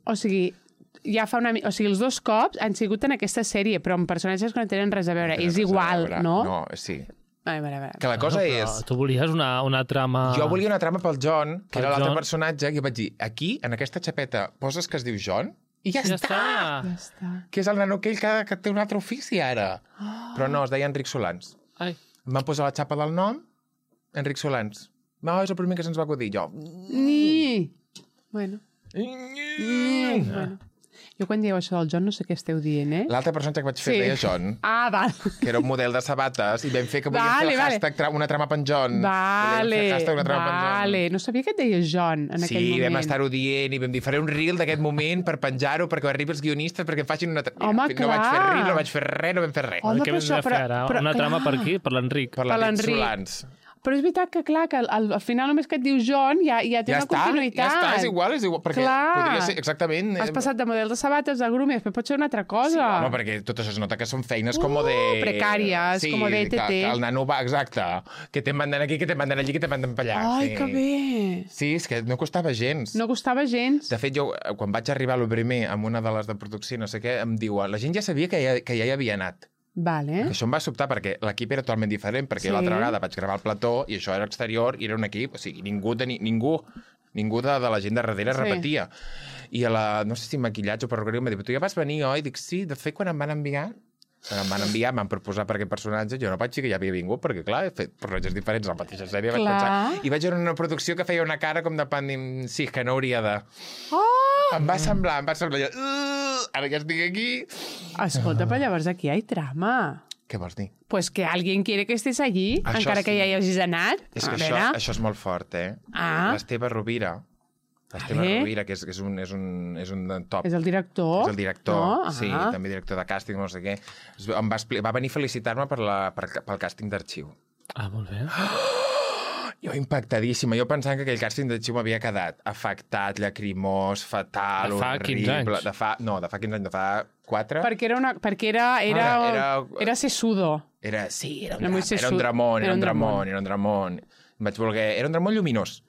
B: o sigui, ja fa una... O sigui, els 2 cops han sigut en aquesta sèrie, però amb personatges que no tenen res a veure. És igual, no?
A: No, sí.
B: A veure.
A: Que la cosa és...
C: Tu volies una trama...
A: Jo volia una trama pel John, que era l'altre personatge, i vaig dir, aquí, en aquesta xapeta, poses que es diu John, i ja està! Que és el nano aquell que té un altre ofici, ara. Però no, es deia Enric Solans.
C: Ai.
A: Em van posar la xapa del nom, Enric Solans. No, és el primer que se'ns va acudir, jo.
B: Bueno. Jo quan dieu això del John no sé què esteu dient,
A: L'altre personatge que vaig fer deia John.
B: Ah, val.
A: Que era un model de sabates i vam fer que volíem fer el hashtag una trama per en John.
B: Vale. No sabia que et deies John en aquell moment.
A: Sí, vam estar-ho dient i vam dir, faré un reel d'aquest moment per penjar-ho perquè arribi els guionistes perquè em facin una...
B: Home, clar.
A: No vaig fer reel, no vaig fer res, no vam fer res.
C: Què vam fer ara? Una trama per qui? Per l'Enric.
A: Per l'Enric Solans.
B: Però és veritat que, clar, que al final només que et diu John ja té una continuïtat.
A: Ja està, és igual, perquè podria ser exactament...
B: Has passat de model de sabates a groom i després pot ser una altra cosa.
A: Sí, home, perquè tot això es nota que són feines com de...
B: Precàries, com de ETT.
A: Que el nano va, exacte, que te manden aquí, que te manden allí, que te manden per allà.
B: Ai, que bé!
A: Sí, és que no costava gens.
B: No costava gens.
A: De fet, jo, quan vaig arribar a lo primer amb una de les de producció, no sé què, em diuen, la gent ja sabia que ja hi havia anat.
B: Vale.
A: Això em va sobtar perquè l'equip era totalment diferent, perquè l'altra vegada vaig gravar el plató i això era exterior i era un equip, o sigui, ningú de la gent de darrere repetia. I no sé si maquillatge o perruqueria em va dir, tu ja vas venir, oi? Dic, sí, de fet, quan em van enviar, m'han proposat per aquest personatge, jo no vaig dir que ja havia vingut, perquè, clar, he fet personatges diferents a la mateixa sèrie, vaig pensar, i vaig veure una producció que feia una cara com de pan, sí, que no hauria de... Em va semblar, ara que estic aquí...
B: Escolta, però llavors aquí hi ha trama.
A: Què vols dir?
B: Pues que alguien quiere que estés allí, encara que ja hi hagis anat.
A: És que això és molt fort,
B: Ah.
A: L'Esteve Rovira Esteve Rovira, que és un top.
B: És el director?
A: És el director,
B: no?
A: sí, també director de càsting, no sé què. Va venir a felicitar-me pel càsting d'arxiu.
C: Ah, molt bé.
A: Jo impactadíssima. Jo pensant que aquell càsting d'arxiu m'havia quedat afectat, lacrimós, fatal,
C: De fa 15
A: horrible.
C: anys.
A: De fa 15 anys, de fa 4.
B: Perquè era sesudo.
A: Era
B: muy
A: un dramón. Vaig voler... Era un dramón lluminós.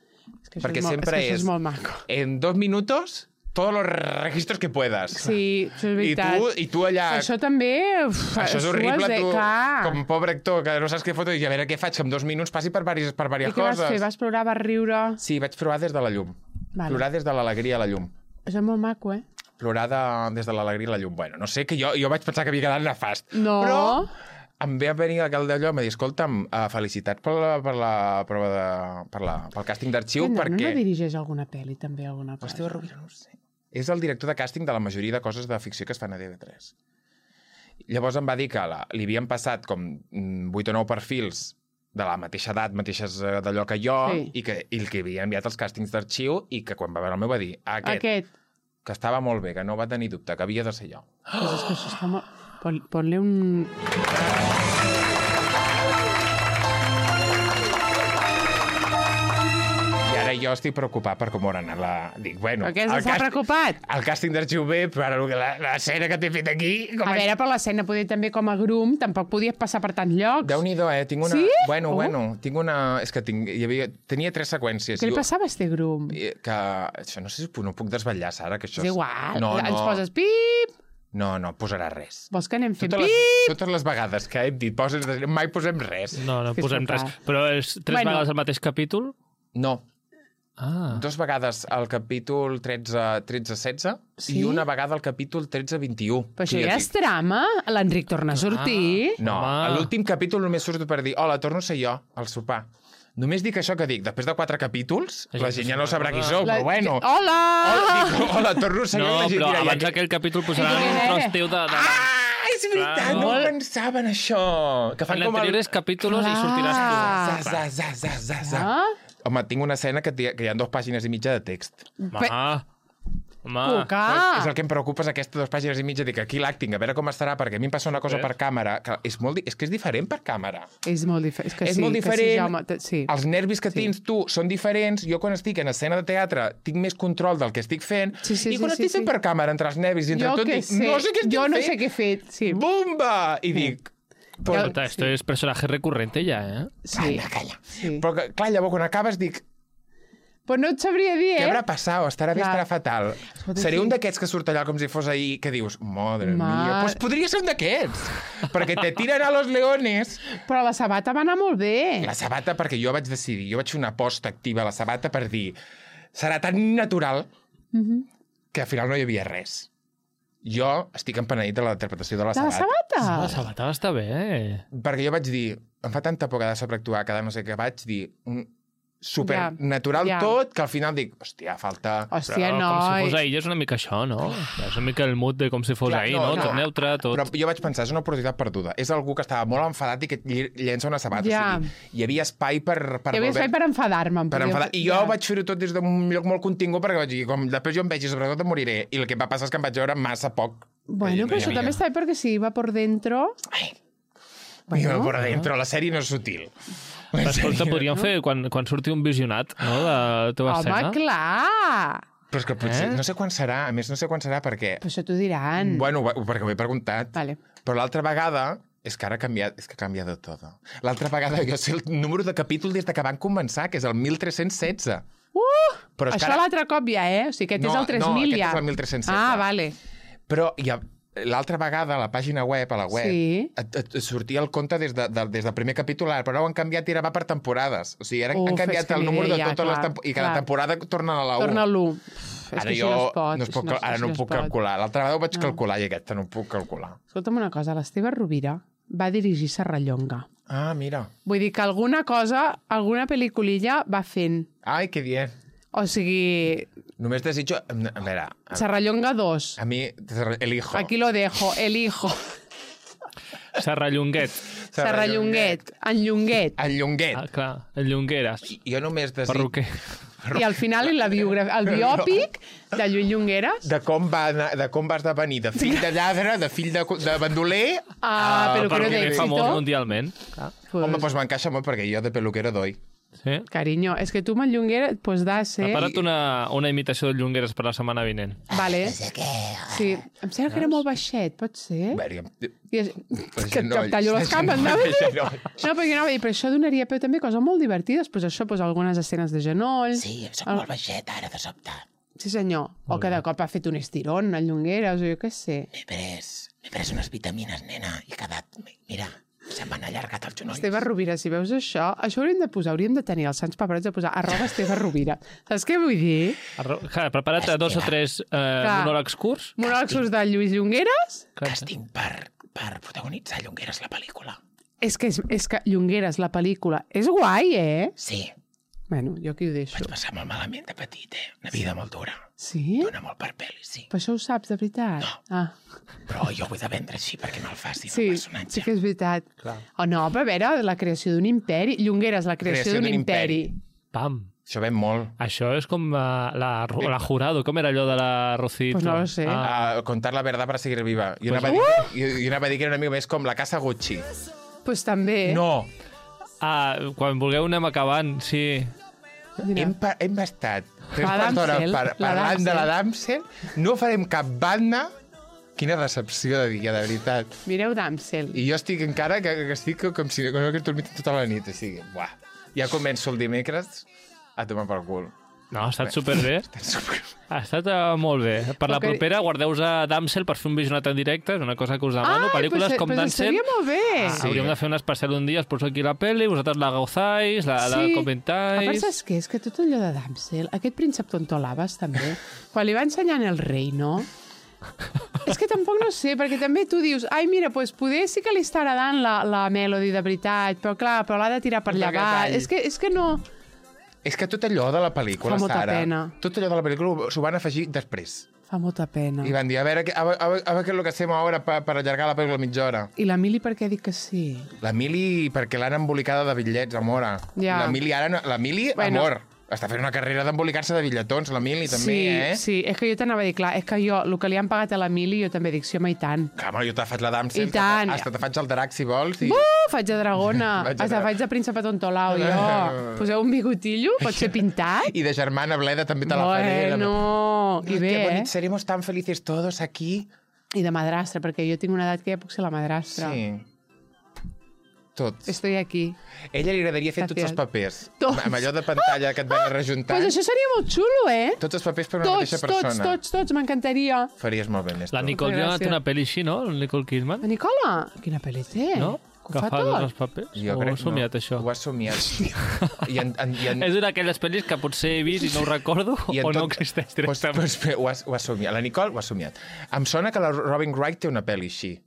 A: Perquè sempre
B: és molt maco.
A: En 2 minutos, todos los registros que puedas.
B: Sí, això és veritat.
A: I tu allà...
B: Això també...
A: Això és horrible, tu,
B: clar.
A: com pobre actor, que no saps què foto, i a veure què faig, que en 2 minuts passi per diverses coses.
B: I què vas fer? Vas plorar, vas riure?
A: Sí, vaig plorar des de la llum.
B: Vale.
A: Plorar des de l'alegria a la llum.
B: Això és molt maco,
A: Plorar des de l'alegria a la llum. Bueno, no sé, que jo vaig pensar que havia quedat nefast.
B: No.
A: Però em ve a venir aquell d'allò, em va dir, escolta'm, felicitats pel càsting d'arxiu, perquè...
B: No dirigeix alguna pel·li, també, alguna cosa?
A: Esteve Rovira, no ho sé. És el director de càsting de la majoria de coses de ficció que es fan a TV3. Llavors em va dir que li havien passat com 8 o 9 perfils de la mateixa edat, mateixes d'allò que jo,
B: sí.
A: i que havia enviat els càstings d'arxiu, i que quan va veure el meu va dir, aquest, que estava molt bé, que no va tenir dubte, que havia de ser jo.
B: Pues és que això està molt... Ponle un...
A: I ara jo estic preocupat per com haurà anat la... Dic, bueno...
B: Per què s'ha preocupat?
A: El càsting d'arxiu bé, però ara l'escena que t'he fet aquí...
B: A veure, per l'escena, poder també com a grum, tampoc podies passar per tants llocs.
A: Déu-n'hi-do, Tinc una...
B: Sí?
A: Bueno, tinc una... És que tenia 3 seqüències.
B: Què li passava a este grum?
A: Que... Això no sé si no puc desvetllar, Sara, que això...
B: És igual.
A: No.
B: Ens poses pip...
A: No, posarà res.
B: Vols que anem fent
A: pip? Totes les vegades que hem dit mai posem res.
C: No posem res. Però és 3 vegades el mateix capítol?
A: No.
B: 2
A: 2 vegades al capítol 13-16
B: sí?
A: I una vegada al capítol 13-21.
B: Però això ja és trama? L'Enric torna a sortir?
A: No, a l'últim capítol només surto per dir hola, torno a ser jo, al sopar. Només dic això que dic, després de 4 capítols, la gent ja no sabrà qui sou, però bueno.
B: Hola!
A: Hola, torno a ser jo.
C: No, però abans d'aquell capítol posaran un tros teu de...
A: És veritat, no pensava en això.
C: En l'anteriores capítols hi sortiràs tu.
A: Home, tinc una escena que hi ha 2 pàgines i mitja de text.
B: Cuca!
A: És el que em preocupa, és aquestes 2 pàgines i mitja. Dic, aquí l'acting, a veure com estarà, perquè a mi em passa una cosa per càmera, que és que és diferent per càmera.
B: És molt diferent.
A: És molt diferent. Els nervis que tens tu són diferents. Jo, quan estic en escena de teatre, tinc més control del que estic fent. I quan estic fent per càmera, entre els nervis i entre tot, dic, no sé què estic fent.
B: Jo no sé què he fet, sí.
A: Bumba! I dic...
C: Esto es personaje recurrente ja,
B: Sí.
A: Calla. Però, clar, llavors, quan acabes, dic...
B: Però no et sabria dir,
A: Què haurà passat? Estarà bé, estarà fatal. Seré un d'aquests que surt allà com si fos ahir, que dius, madre mía, pues podria ser un d'aquests, perquè te tiren a los leones.
B: Però la sabata va anar molt bé.
A: La sabata, perquè jo vaig decidir, jo vaig fer una aposta activa a la sabata per dir, serà tan natural que al final no hi havia res. Jo estic empenedit de la interpretació de la sabata.
B: De la sabata?
C: La sabata està bé.
A: Perquè jo vaig dir, em fa tanta por cada sobreactuar, cada no sé què, vaig dir... supernatural tot, que al final dic, hòstia, falta...
B: Hòstia,
C: però,
B: no.
C: Com si fos ahir és una mica això, no? És una mica el mood de com si fos ahir, no? Tot neutre, tot...
A: Però jo vaig pensar, és una oportunitat perduda. És algú que estava molt enfadat i que llença una sabata. Ja. O sigui, hi havia espai per...
B: Hi havia espai per enfadar-me.
A: I jo vaig fer-ho tot des d'un lloc molt contingut, perquè vaig dir, com després jo em veig i sobretot em moriré. I el que va passar és que em vaig veure massa poc.
B: Bueno, però això també està bé perquè si va por dentro...
A: Iba por dentro, la sèrie no és sutil.
C: Escolta, podríem fer quan surti un visionat, no?, de la teva escena.
B: Home, clar!
A: Però és que potser, no sé quan serà, a més no sé quan serà perquè...
B: Però això t'ho diran.
A: Bueno, perquè ho he preguntat.
B: Vale.
A: Però l'altra vegada, és que ara ha canviat, és que ha canviat de tot. L'altra vegada jo sé el número de capítol des de que van començar, que és el 1316.
B: Però això l'altre cop ja, O sigui, aquest és el 3000 ja.
A: No, aquest és el 1316.
B: Ah, vale.
A: Però l'altra vegada, a la pàgina web, et sortia el compte des del primer capítol, però ara ho han canviat i ara va per temporades. O sigui, ara han canviat el número de totes les temporades, i cada temporada torna a la 1.
B: Torna a l'1.
A: Ara jo no puc calcular. L'altra vegada ho vaig calcular i aquesta no ho puc calcular.
B: Escolta'm una cosa, l'Esteve Rovira va dirigir Serrallonga.
A: Ah, mira.
B: Vull dir que alguna cosa, alguna pel·liculilla va fent.
A: Ai, que bien.
B: O sigui...
A: Només desitjo... A veure...
B: Serrallonga 2.
A: A mi, el hijo.
B: Aquí lo dejo, el hijo.
C: Serrallonguet.
B: Serrallonguet. En Llonguet.
A: En Llonguet.
C: Ah, clar, en Llongueres.
A: Jo només desitjo...
C: Perruquer.
B: I al final el biòpic de Lluís Llongueres.
A: De com va esdevenir de fill de lladre, de fill de bandoler...
B: Peluquero
C: perquè és famós
B: d'èxito.
C: mundialment.
A: Home, doncs m'encaixa molt, perquè jo de peluquero doy.
C: Sí.
B: Carinyo, és que tu amb el Llongueres pues da ser...
C: Prepara't una imitació de Llongueres per la setmana vinent.
B: Vale. Sí, em sembla que era molt baixet, pot ser? Que et tallo les cames, no? No, perquè anava a dir, però això donaria peu també coses molt divertides, pues això, pues algunes escenes de genoll...
D: Sí, soc molt baixet ara, de sobte.
B: Sí, senyor. O que de cop ha fet un estirón, el Llongueres, o jo què sé.
D: M'he pres unes vitamines, nena, i he quedat... Mira, se m'han allargat els genolls.
B: Esteve Rovira, si veus això hauríem de tenir els Sants Paperets de posar @Esteve Rovira. Saps què vull dir?
C: Prepara't 2 o 3 monòlegs curts.
B: Monòlegs curts de Lluís Llongueres.
D: Càsting per protagonitzar Llongueres la pel·lícula.
B: És que Llongueres, la pel·lícula, és guai,
D: Sí,
B: Bueno, jo aquí ho deixo.
D: vaig passar molt malament de petit, Una vida molt dura.
B: Sí?
D: Dóna molt per pel·li, sí.
B: Però això ho saps, de veritat?
D: No.
B: Ah.
D: Però jo ho he de vendre així perquè me'l faci
B: Sí,
D: el personatge.
B: sí que és veritat. O no, però a veure, la creació d'un imperi. Llongueres, la creació d'un imperi.
C: Pam.
A: Això ven molt.
C: Això és com la Jurado. Com era allò de la Rocito?
B: Pues no lo sé.
A: Contar la verdad para seguir viva. Jo anava a dir que era una mica més com la casa Gucci.
B: Pues també.
A: No,
C: Quan vulgueu anem acabant, sí.
B: Mira.
A: hem estat 3
B: La
A: quarts d'hora
B: Damsel, la
A: parlant de la
B: Damsel.
A: Damsel, no farem cap banda. Quina decepció de dia, de veritat.
B: Mireu Damsel.
A: I jo estic encara que estic com si no hagués dormit tota la nit. O sigui, buah. Ja començo el dimecres a tomar pel cul.
C: No, ha estat superbé. Ha estat molt bé. Per la propera, guardeu-vos a Damsel per fer un visionat en directe, és una cosa que us demano. Pel·lícules com Damsel.
B: Seria molt bé.
A: Sí.
C: Hauríem de fer un especial un dia, us poso aquí la pel·li, vosaltres la gauzáis, la
B: A
C: comentáis...
B: part, saps què? És que tot allò de Damsel, aquest príncep tontolabes, també, quan li va ensenyant el rei, no? És que tampoc no sé, perquè també tu dius ai, mira, pues, poder sí que li està agradant la Melody de veritat, però clar, l'ha de tirar per allà baix. És que no...
A: És que tot allò de la pel·lícula,
B: Fa molta
A: Sara,
B: pena.
A: tot allò de la pel·lícula s'ho van afegir després.
B: Fa molta pena.
A: I van dir, a ver qué es lo que hacemos ahora para allargar la pel·lícula mitja hora.
B: I la Mili per què dic que sí?
A: La Mili, perquè l'han embolicada de bitllets, amora.
B: Ja.
A: La Mili,
B: Bueno.
A: amor, està fent una carrera d'embolicar-se de bitlletons, la Mili, també,
B: Sí, és que jo t'anava a dir, clar, és que jo, el que li han pagat a la Mili, jo també dic, sí, home, i tant.
A: Clar, jo te faig la Damsel,
B: I tant.
A: hasta te faig el drac, si vols. I...
B: Faig de dragona, hasta faig de príncipe tontolao, jo. Poseu un bigotillo, pot ser pintat.
A: I de germana Bleda també te la faré.
B: Bueno, i bé,
A: Qué bonito, seremos tan felices todos aquí.
B: I de madrastra, perquè jo tinc una edat que ja puc ser la madrastra.
A: Sí. Tots.
B: Estoy aquí.
A: Ella li agradaria fer tots els papers.
B: Tots.
A: Amb allò de pantalla que et van rejuntant.
B: Pues això seria molt xulo,
A: Tots els papers per una mateixa persona.
B: Tots, m'encantaria.
A: Faries molt bé, Néstor.
C: La Nicole Kidman té una pel·li així, no? La Nicole Kidman?
B: La Nicola, quina pel·li té?
C: No?
B: Que ho fa
C: Agafar tots
B: tot?
C: els papers?
A: Jo
C: O
A: crec
C: he somiat, això?
A: Ho has somiat. I
C: És una d'aquelles pel·lis que potser he vist i no ho recordo o no existeix directament.
A: Ho has somiat. La Nicole ho ha somiat. Em sona que la Robin Wright té una pel·li així.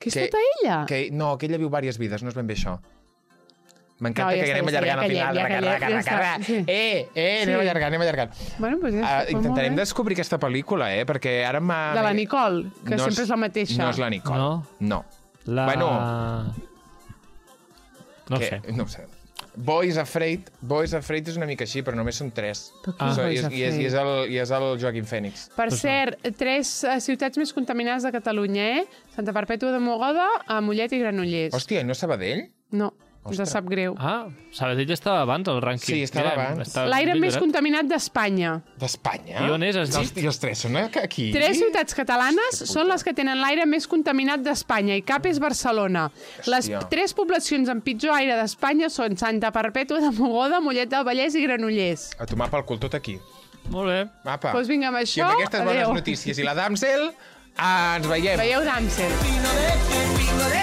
B: Que és tota ella?
A: No, que ella viu diverses vides, no és ben bé això. M'encanta
B: No, ja
A: que anem
B: està,
A: allargant al final. Anem allargant.
B: Bueno, pues ja està.
A: Intentarem descobrir aquesta pel·lícula, perquè ara m'ha...
B: De la Nicole, que sempre és la mateixa.
A: No és la Nicole. No.
C: Bueno... No
A: que,
C: sé.
A: No ho sé. Boys Afraid és una mica així, però només són 3. I és el Joaquim Fènix.
B: Per cert, 3 ciutats més contaminades de Catalunya, Santa Perpètua de Mogoda, Mollet i Granollers.
A: Hòstia, no Sabadell?
B: No, ens sap greu.
C: Sabadell estava abans al rànquing.
A: Sí, estava abans.
B: L'aire més contaminat d'Espanya.
A: D'Espanya?
C: I on és, has dit?
A: I els 3 són aquí?
B: 3 ciutats catalanes són les que tenen l'aire més contaminat d'Espanya i cap és Barcelona. Les 3 poblacions amb pitjor aire d'Espanya són Santa Perpètua de Mogoda, Mollet del Vallès i Granollers.
A: A tomar pel cul tot aquí.
C: Molt bé.
A: Apa.
B: Doncs vinga, amb això,
A: I amb aquestes bones
B: adéu.
A: notícies i la Damsel, ens veiem.
B: Veieu Damsel.